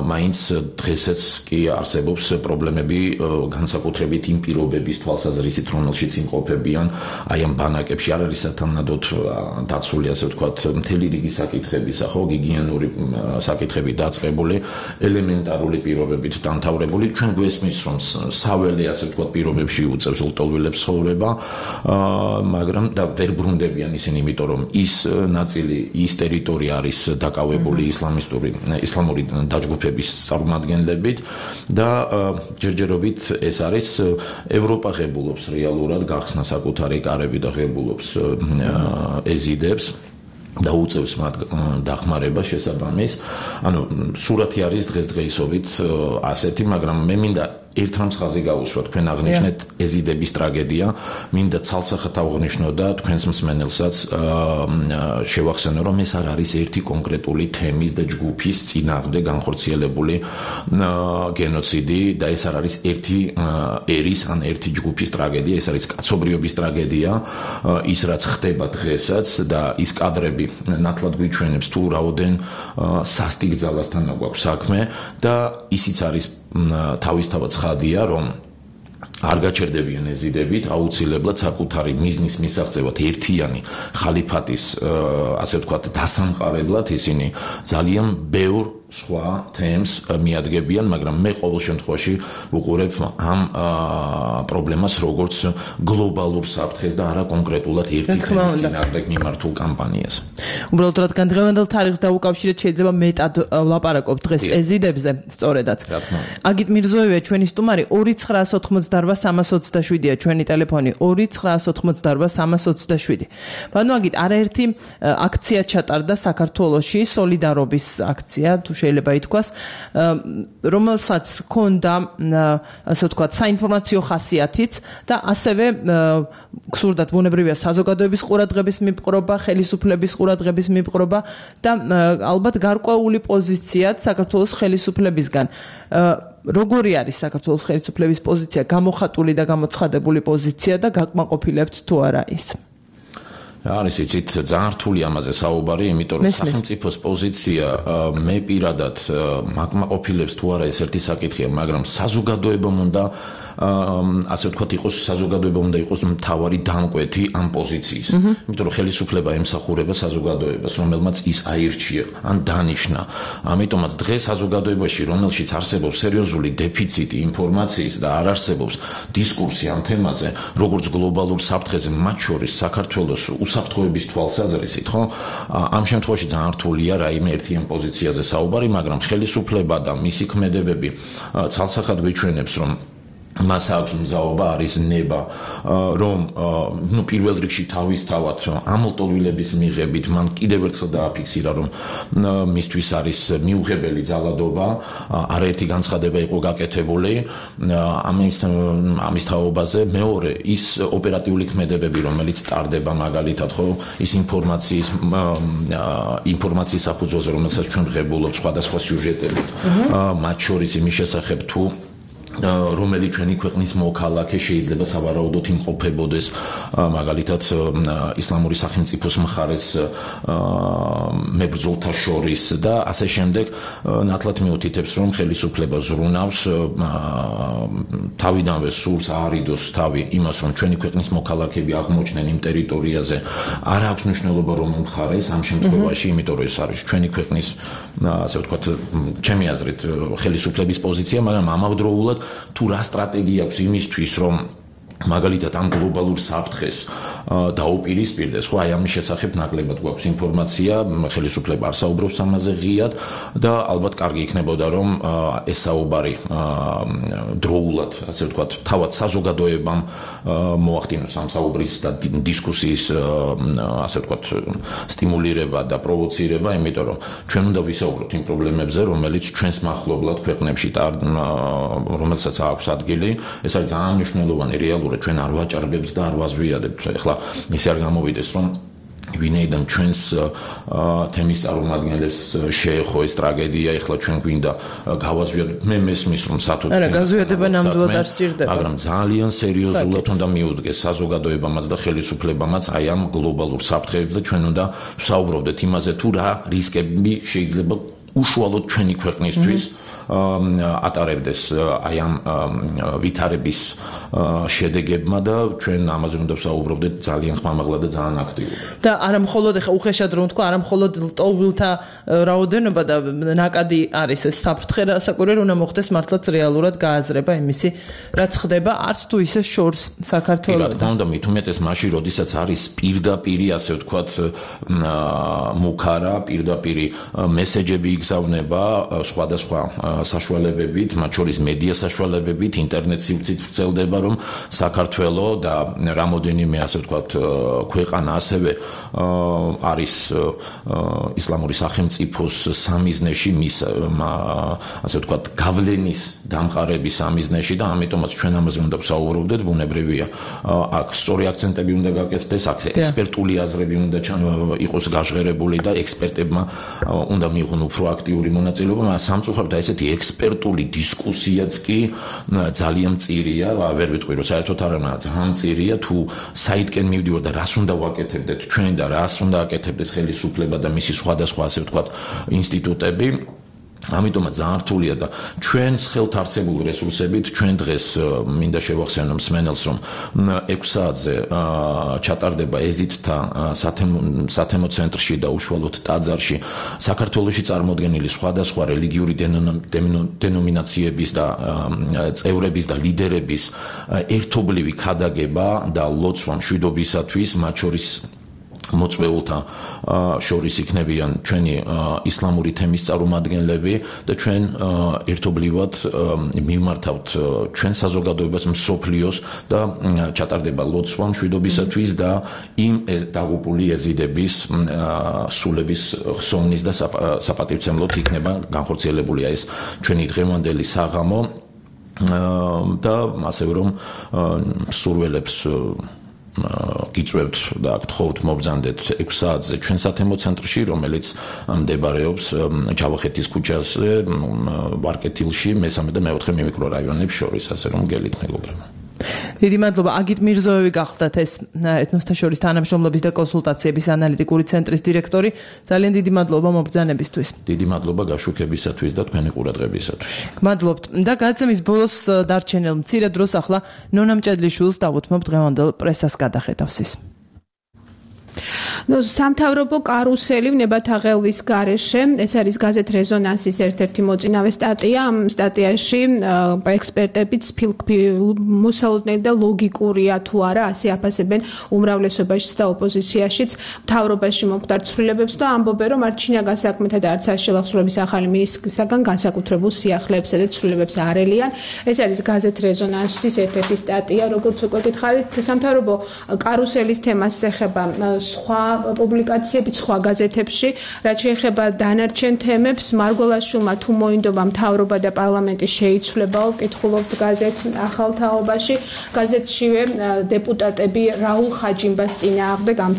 მაინც დღესაც კი არსებობს პრობლემები განსაკუთრებით იმ პირობების თვალსაზრისით, რომელშიც იმყოფებიან აი ამ ბანაკებში. არ არის სათანადოდ დაცული, ასე ვთქვათ, მთელი რიგი საკითხების, ხო, გიგიენური საკითხები დაწყებული, ელემენტარული პირობებით დამთავრებული. ჩვენ გვესმის, რომ საველე, ასე ვთქვათ, პირობებში უწევს ლტოლვილებს ცხოვრება. მაგრამ და ვერ ბრუნდებიან ისინი, იმიტომ რომ ის ნაწილი, ის ტერიტორია არის დაკავებული ისლამისტური ისლამური დაჯგუფების წარმომადგენლებით და ჯერჯერობით ეს არის ევროპა ღებულობს რეალურად გახსნა საკუთარი კარები და ღებულობს ეზიდებს და უწევს მათ დახმარება შესაბამის. ანუ სურათი არის დღესდღეობით ასეთი, მაგრამ მე მინდა ერთ რამს ხაზი გავუსვა, თქვენ აღნიშნეთ ეზიდების ტრაგედია, მინდა ცალსახად ავღნიშნო და თქვენს მსმენელსაც შევახსენო, რომ ეს არ არის ერთი კონკრეტული თემის და ჯგუფის წინააღმდეგ განხორციელებული გენოციდი და ეს არ არის ერთი ერის ან ერთი ჯგუფის ტრაგედია, ეს არის კაცობრიობის ტრაგედია, ის რაც ხდება დღესაც და ის კადრები ნათლად გვიჩვენებს თუ რაოდენ სასტიკ ძალასთან გვაქვს საქმე და ისიც არის თავისთავად ცხადია, რომ არ გაჩერდებიან ეზიდებით, აუცილებლად საკუთარი მიზნის მისაღწევად ერთიანი ხალიფატის, ასე ვთქვათ, დასამყარებლად ისინი ძალიან ბევრ სხვა თემს მიადგებიან, მაგრამ მე ყოველ შემთხვევაში ვუყურებ ამ პრობლემას როგორც გლობალურ საფრთხეს და არა კონკრეტულად ერთი თემის წინააღმდეგ მიმართულ კამპანიას. უბრალოდ რადგან დღევანდელ თარიღს დაუკავშირეთ, შეიძლება მეტად ვლაპარაკობთ დღეს ეზიდებზე, სწორედაც. აგით მირზოევია ჩვენი სტუმარი, ორი ცხრაას ოთხმოცდაარბა სამას ოცდაშვიდია ჩვენი ტელეფონი, ორი ცხრაას ოთხმოცდაარბა სამას ოცდაშვიდი. ბანო აგით არაერთი აქცია ჩატარდა საქართველოში, სოლიდარობის აქცია, თუ შეიძლება ითქვას, რომელსაც ჰქონდა, ასე ვთქვათ, საინფორმაციო ხასიათიც და ასევე გსურდათ ბუნებრივია საზოგადოების ყურადღების მიპყრობა, ხელისუფლების ყურადღების მიპყრობა და ალბათ გარკვეული პოზიციაც საქართველოს ხელისუფლებისგან. როგორი არის საქართველოს ხელისუფლების პოზიცია, გამოხატული და გამოცხადებული პოზიცია და გაკმაყოფილებთ თუ არა ის? არის იცით ძალიან რთული ამაზე საუბარი, იმიტომ რომ სახელმწიფოს პოზიცია მე პირადად მაგმაყოფილებს თუ არა ეს ერთი საკითხია, მაგრამ საზოგადოებამ უნდა ასე ვთქვათ იყოს საზოგადოება უნდა იყოს მთავარი დამკვეთი ამ პოზიციის. იმიტომ რომ ხელისუფლება ემსახურება საზოგადოებას, რომელმაც ის აირჩია ან დანიშნა. ამიტომაც დღეს საზოგადოებაში, რომელშიც არსებობს სერიოზული დეფიციტი ინფორმაციის და არ არსებობს დისკურსი ამ თემაზე, როგორც გლობალურ საფრთხეზე, მათ შორის საქართველოს უსაფრთხოების თვალსაზრისით, ხო? ამ შემთხვევაში ძალიან რთულია რაიმე ერთიან პოზიციაზე საუბარი, მაგრამ ხელისუფლება და მისი ქმედებები ცალსახად გვიჩვენებს, რომ მას აქვს მზაობა, არის ნება, რომ ნუ პირველ რიგში თავისთავად ამლტოლვილების მიღებით მან კიდევ ერთხელ დააფიქსირა, რომ მისთვის არის მიუღებელი ძალადობა, არაერთი განცხადება იყო გაკეთებული ამის ამის თაობაზე. მეორე, ის ოპერატიული ქმედებები, რომელიც ტარდება მაგალითად, ხო, ის ინფორმაციის ინფორმაციის საფუძველზე, რომელსაც ჩვენ ვღებულობთ სხვადასხვა სიუჟეტებით, მათ შორის იმის შესახებ თუ რომელიც ჩვენი ქვეყნის მოქალაქე შეიძლება სავარაუდოდ იმყოფებოდეს მაგალითად ისლამური სახელმწიფოს მხარეს მებრძოლთა შორის და ასე შემდეგ ნათლად მიუთითებს რომ ხელისუფლება ზრუნავს თავიდანვე სურს აარიდოს თავი იმას რომ ჩვენი ქვეყნის მოქალაქეები აღმოჩნდნენ იმ ტერიტორიაზე არ აქვს მნიშვნელობა რომ მხარეს ამ შემთხვევაში იმიტომ რომ ეს არის ჩვენი ქვეყნის ასე ვთქვათ ჩემი აზრით ხელისუფლების პოზიცია მაგრამ ამავდროულად თუ რა სტრატეგია აქვს იმისთვის რომ მაგალითად ამ გლობალურ საფრთხეს დაუპირისპირდეს, ხო, აი ამის შესახებ ნაკლებად გვაქვს ინფორმაცია, ხელისუფლება არ საუბრობს ამაზე ღიად და ალბათ კარგი იქნებოდა რომ ეს საუბარი დროულად, ასე ვთქვათ, თავად საზოგადოებამ მოახდინოს ამ საუბრის და დისკუსიის, ასე ვთქვათ, სტიმულირება და პროვოცირება, იმიტომ რომ ჩვენ უნდა ვისაუბროთ იმ პრობლემებზე, რომელიც ჩვენს მახლობლად ქვეყნებში და რომელსაც აქვს ადგილი, ეს არის ძალიან მნიშვნელოვანი რეალური ჩვენ არ ვაჭარბებთ და არ ვაზვიადებთ. ეხლა ისე არ გამოვიდეს რომ ვინაიდან ჩვენს თემის წარმომადგენლებს შეეხო ეს ტრაგედია, ეხლა ჩვენ გვინდა გავაზვიადოთ. მე მესმის რომ სათუთ არა, გაზვიადება ნამდვილად არ სჭირდება. მაგრამ ძალიან სერიოზულად უნდა მიუდგეს საზოგადოებამაც და ხელისუფლებამაც აი ამ გლობალურ საფრთხეებზე და ჩვენ უნდა ვსაუბრობდეთ იმაზე თუ რა რისკები შეიძლება უშუალოდ ჩვენი ქვეყნისთვის ატარებდეს აი ამ ვითარების შედეგებმა და ჩვენ ამაზე უნდა ვსაუბრობდეთ ძალიან ხმამაღლა და ძალიან აქტიურად. და არა მხოლოდ ეხა უხეშად რომ თქვა, არა მხოლოდ ლტოლვილთა რაოდენობა და ნაკადი არის ეს საფრთხე, საკვირველი უნდა მოხდეს მართლაც რეალურად გააზრება იმისი, რაც ხდება არც თუ ისე შორს საქართველოს. რა თქმა უნდა, მით უმეტეს მაშინ, როდესაც არის პირდაპირი, ასე ვთქვათ, მუქარა, პირდაპირი მესეჯები იგზავნება სხვადასხვა საშუალებებით, მათ შორის მედია საშუალებებით, ინტერნეტ სივრცით ვრცელდება რომ საქართველოს და რამოდენიმე ასე ვთქვათ ქვეყანა ასევე არის ისლამური სახელმწიფოს სამიზნეში მის ასე ვთქვათ გავლენის დამყარების სამიზნეში და ამიტომაც ჩვენ ამაზე უნდა ვსაუბრობდეთ, ბუნებრივია. აქ სწორი აქცენტები უნდა გაკეთდეს, აქ ექსპერტული აზრები უნდა იყოს გაჟღერებული და ექსპერტებმა უნდა მიიღონ უფრო აქტიური მონაწილეობა, მაგრამ სამწუხაროდ ესეთი ექსპერტული დისკუსიაც კი ძალიან მწირია, ვერ ვიტყვი რომ საერთოდ არ არა, ძალიან მწირია თუ საითკენ მივდივარ და რას უნდა ვაკეთებდეთ ჩვენ და რას უნდა აკეთებდეს ხელისუფლება და მისი სხვადასხვა ასე ვთქვათ ინსტიტუტები. ამიტომაც ძალიან რთულია და ჩვენს ხელთ არსებულ რესურსებით ჩვენ დღეს მინდა შევახსენო მსმენელს რომ ექვს საათზე ჩატარდება ეზიტთა სათემო ცენტრში და უშუალოდ ტაძარში საქართველოში წარმოდგენილი სხვადასხვა რელიგიური დენომინაციების და წევრების და ლიდერების ერთობლივი ქადაგება და ლოცვა მშვიდობისათვის, მათ შორის მოწვეულთა შორის იქნებიან ჩვენი ისლამური თემის წარმომადგენლები და ჩვენ ერთობლივად მიმართავთ ჩვენ საზოგადოებას მსოფლიოს და ჩატარდება ლოცვა მშვიდობისათვის და იმ დაღუპული ეზიდების სულების ხსოვნის და საპატივცემლოდ იქნება განხორციელებულია ეს ჩვენი დღევანდელი საღამო და ასევე რომ სურველებს გიწევთ და გთხოვთ მობრძანდეთ ექვს საათზე ჩვენ სათემო ცენტრში, რომელიც მდებარეობს ჯავახეთის ქუჩაზე, ვარკეთილში, მესამე და მეოთხე მიმიკრორაიონებს შორის, ასე რომ გელით მეგობრებო. დიდი მადლობა. აგით მირზოევი გახლდათ ეს ეთნოსთა შორის თანამშრომლობის და კონსულტაციების ანალიტიკური ცენტრის დირექტორი. ძალიან დიდი მადლობა მობრძანებისთვის. დიდი მადლობა გაშუქებისათვის და თქვენი ყურადღებისათვის. გმადლობთ. და გაცემის ბოლოს დარჩენილ მცირე დროს ახლა ნონა მჭედლიშვილს დავუთმობ დღევანდელ პრესას გადახედავს ის. ნუ სამთავრობო კარუსელი ნებათაღელვის გარეშე ეს არის გაზეთ რეზონანსის ერთ-ერთი მოწინავე სტატია. ამ სტატიაში ექსპერტებიც მოსალოდნელი და ლოგიკურია თუ არა ასე აფასებენ უმრავლესობაშიც და ოპოზიციაშიც მთავრობაში მომხდარ ცვლილებებს და ამბობენ რომ არც ჩინაგან საქმეთა და არც შელახსოვრების ახალი მინისტრისაგან განსაკუთრებულ სიახლეებსა და ცვლილებებს არ ელიან. ეს არის გაზეთ რეზონანსის ერთ-ერთი სტატია. როგორც უკვე გითხარით, სამთავრობო კარუსელის თემას ეხება სხვა პუბლიკაციები სხვა გაზეთებში, რაც შეეხება დანარჩენ თემებს, მარგველაშვილმა თუ მოინდომა მთავრობა და პარლამენტი შეიცვლებაო, ვკითხულობთ გაზეთ ახალ თაობაში. გაზეთშივე დეპუტატები რაულ ხაჯიმბას წინააღმდეგ ამ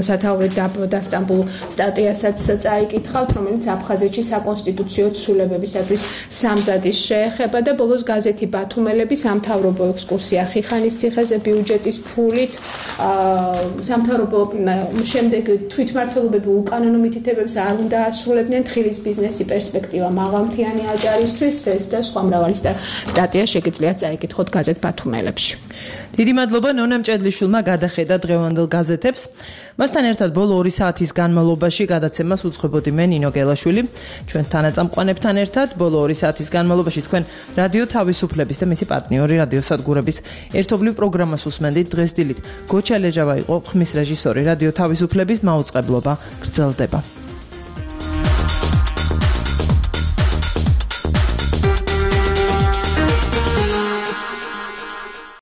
სათაურით დასტამბულ სტატიასაც წაიკითხავთ, რომელიც აფხაზეთში საკონსტიტუციო ცვლილებებისათვის სამზადის შეეხება და ბოლოს გაზეთი ბათუმელები სამთავრობო ექსკურსია ხიხანის ციხეზე ბიუჯეტის ფულით სამთავრობო შემდეგ თვითმმართველობები უკანონო მითითებებს არ უნდა ასრულებდნენ თხილის ბიზნესი პერსპექტივა მაღალმთიანი აჭარისთვის ეს და სხვა მრავალი სტატია შეგიძლიათ წაიკითხოთ გაზეთ ბათუმელებში. დიდი მადლობა ნონა მჭედლიშვილმა გადახედა დღევანდელ გაზეთებს. მასთან ერთად ბოლო ორი საათის განმავლობაში გადაცემას უძღვებოდი მე ნინო გელაშვილი. ჩვენს თანაწამყვანებთან ერთად ბოლო ორი საათის განმავლობაში თქვენ რადიო თავისუფლების და მისი პარტნიორი რადიო სადგურების ერთობლივ პროგრამას უსმენდით. დღეს დილით გოჩა ლეჟავა იყო ხმის რეჟისორი. რადიო თავისუფლების მაუწყებლობა გრძელდება.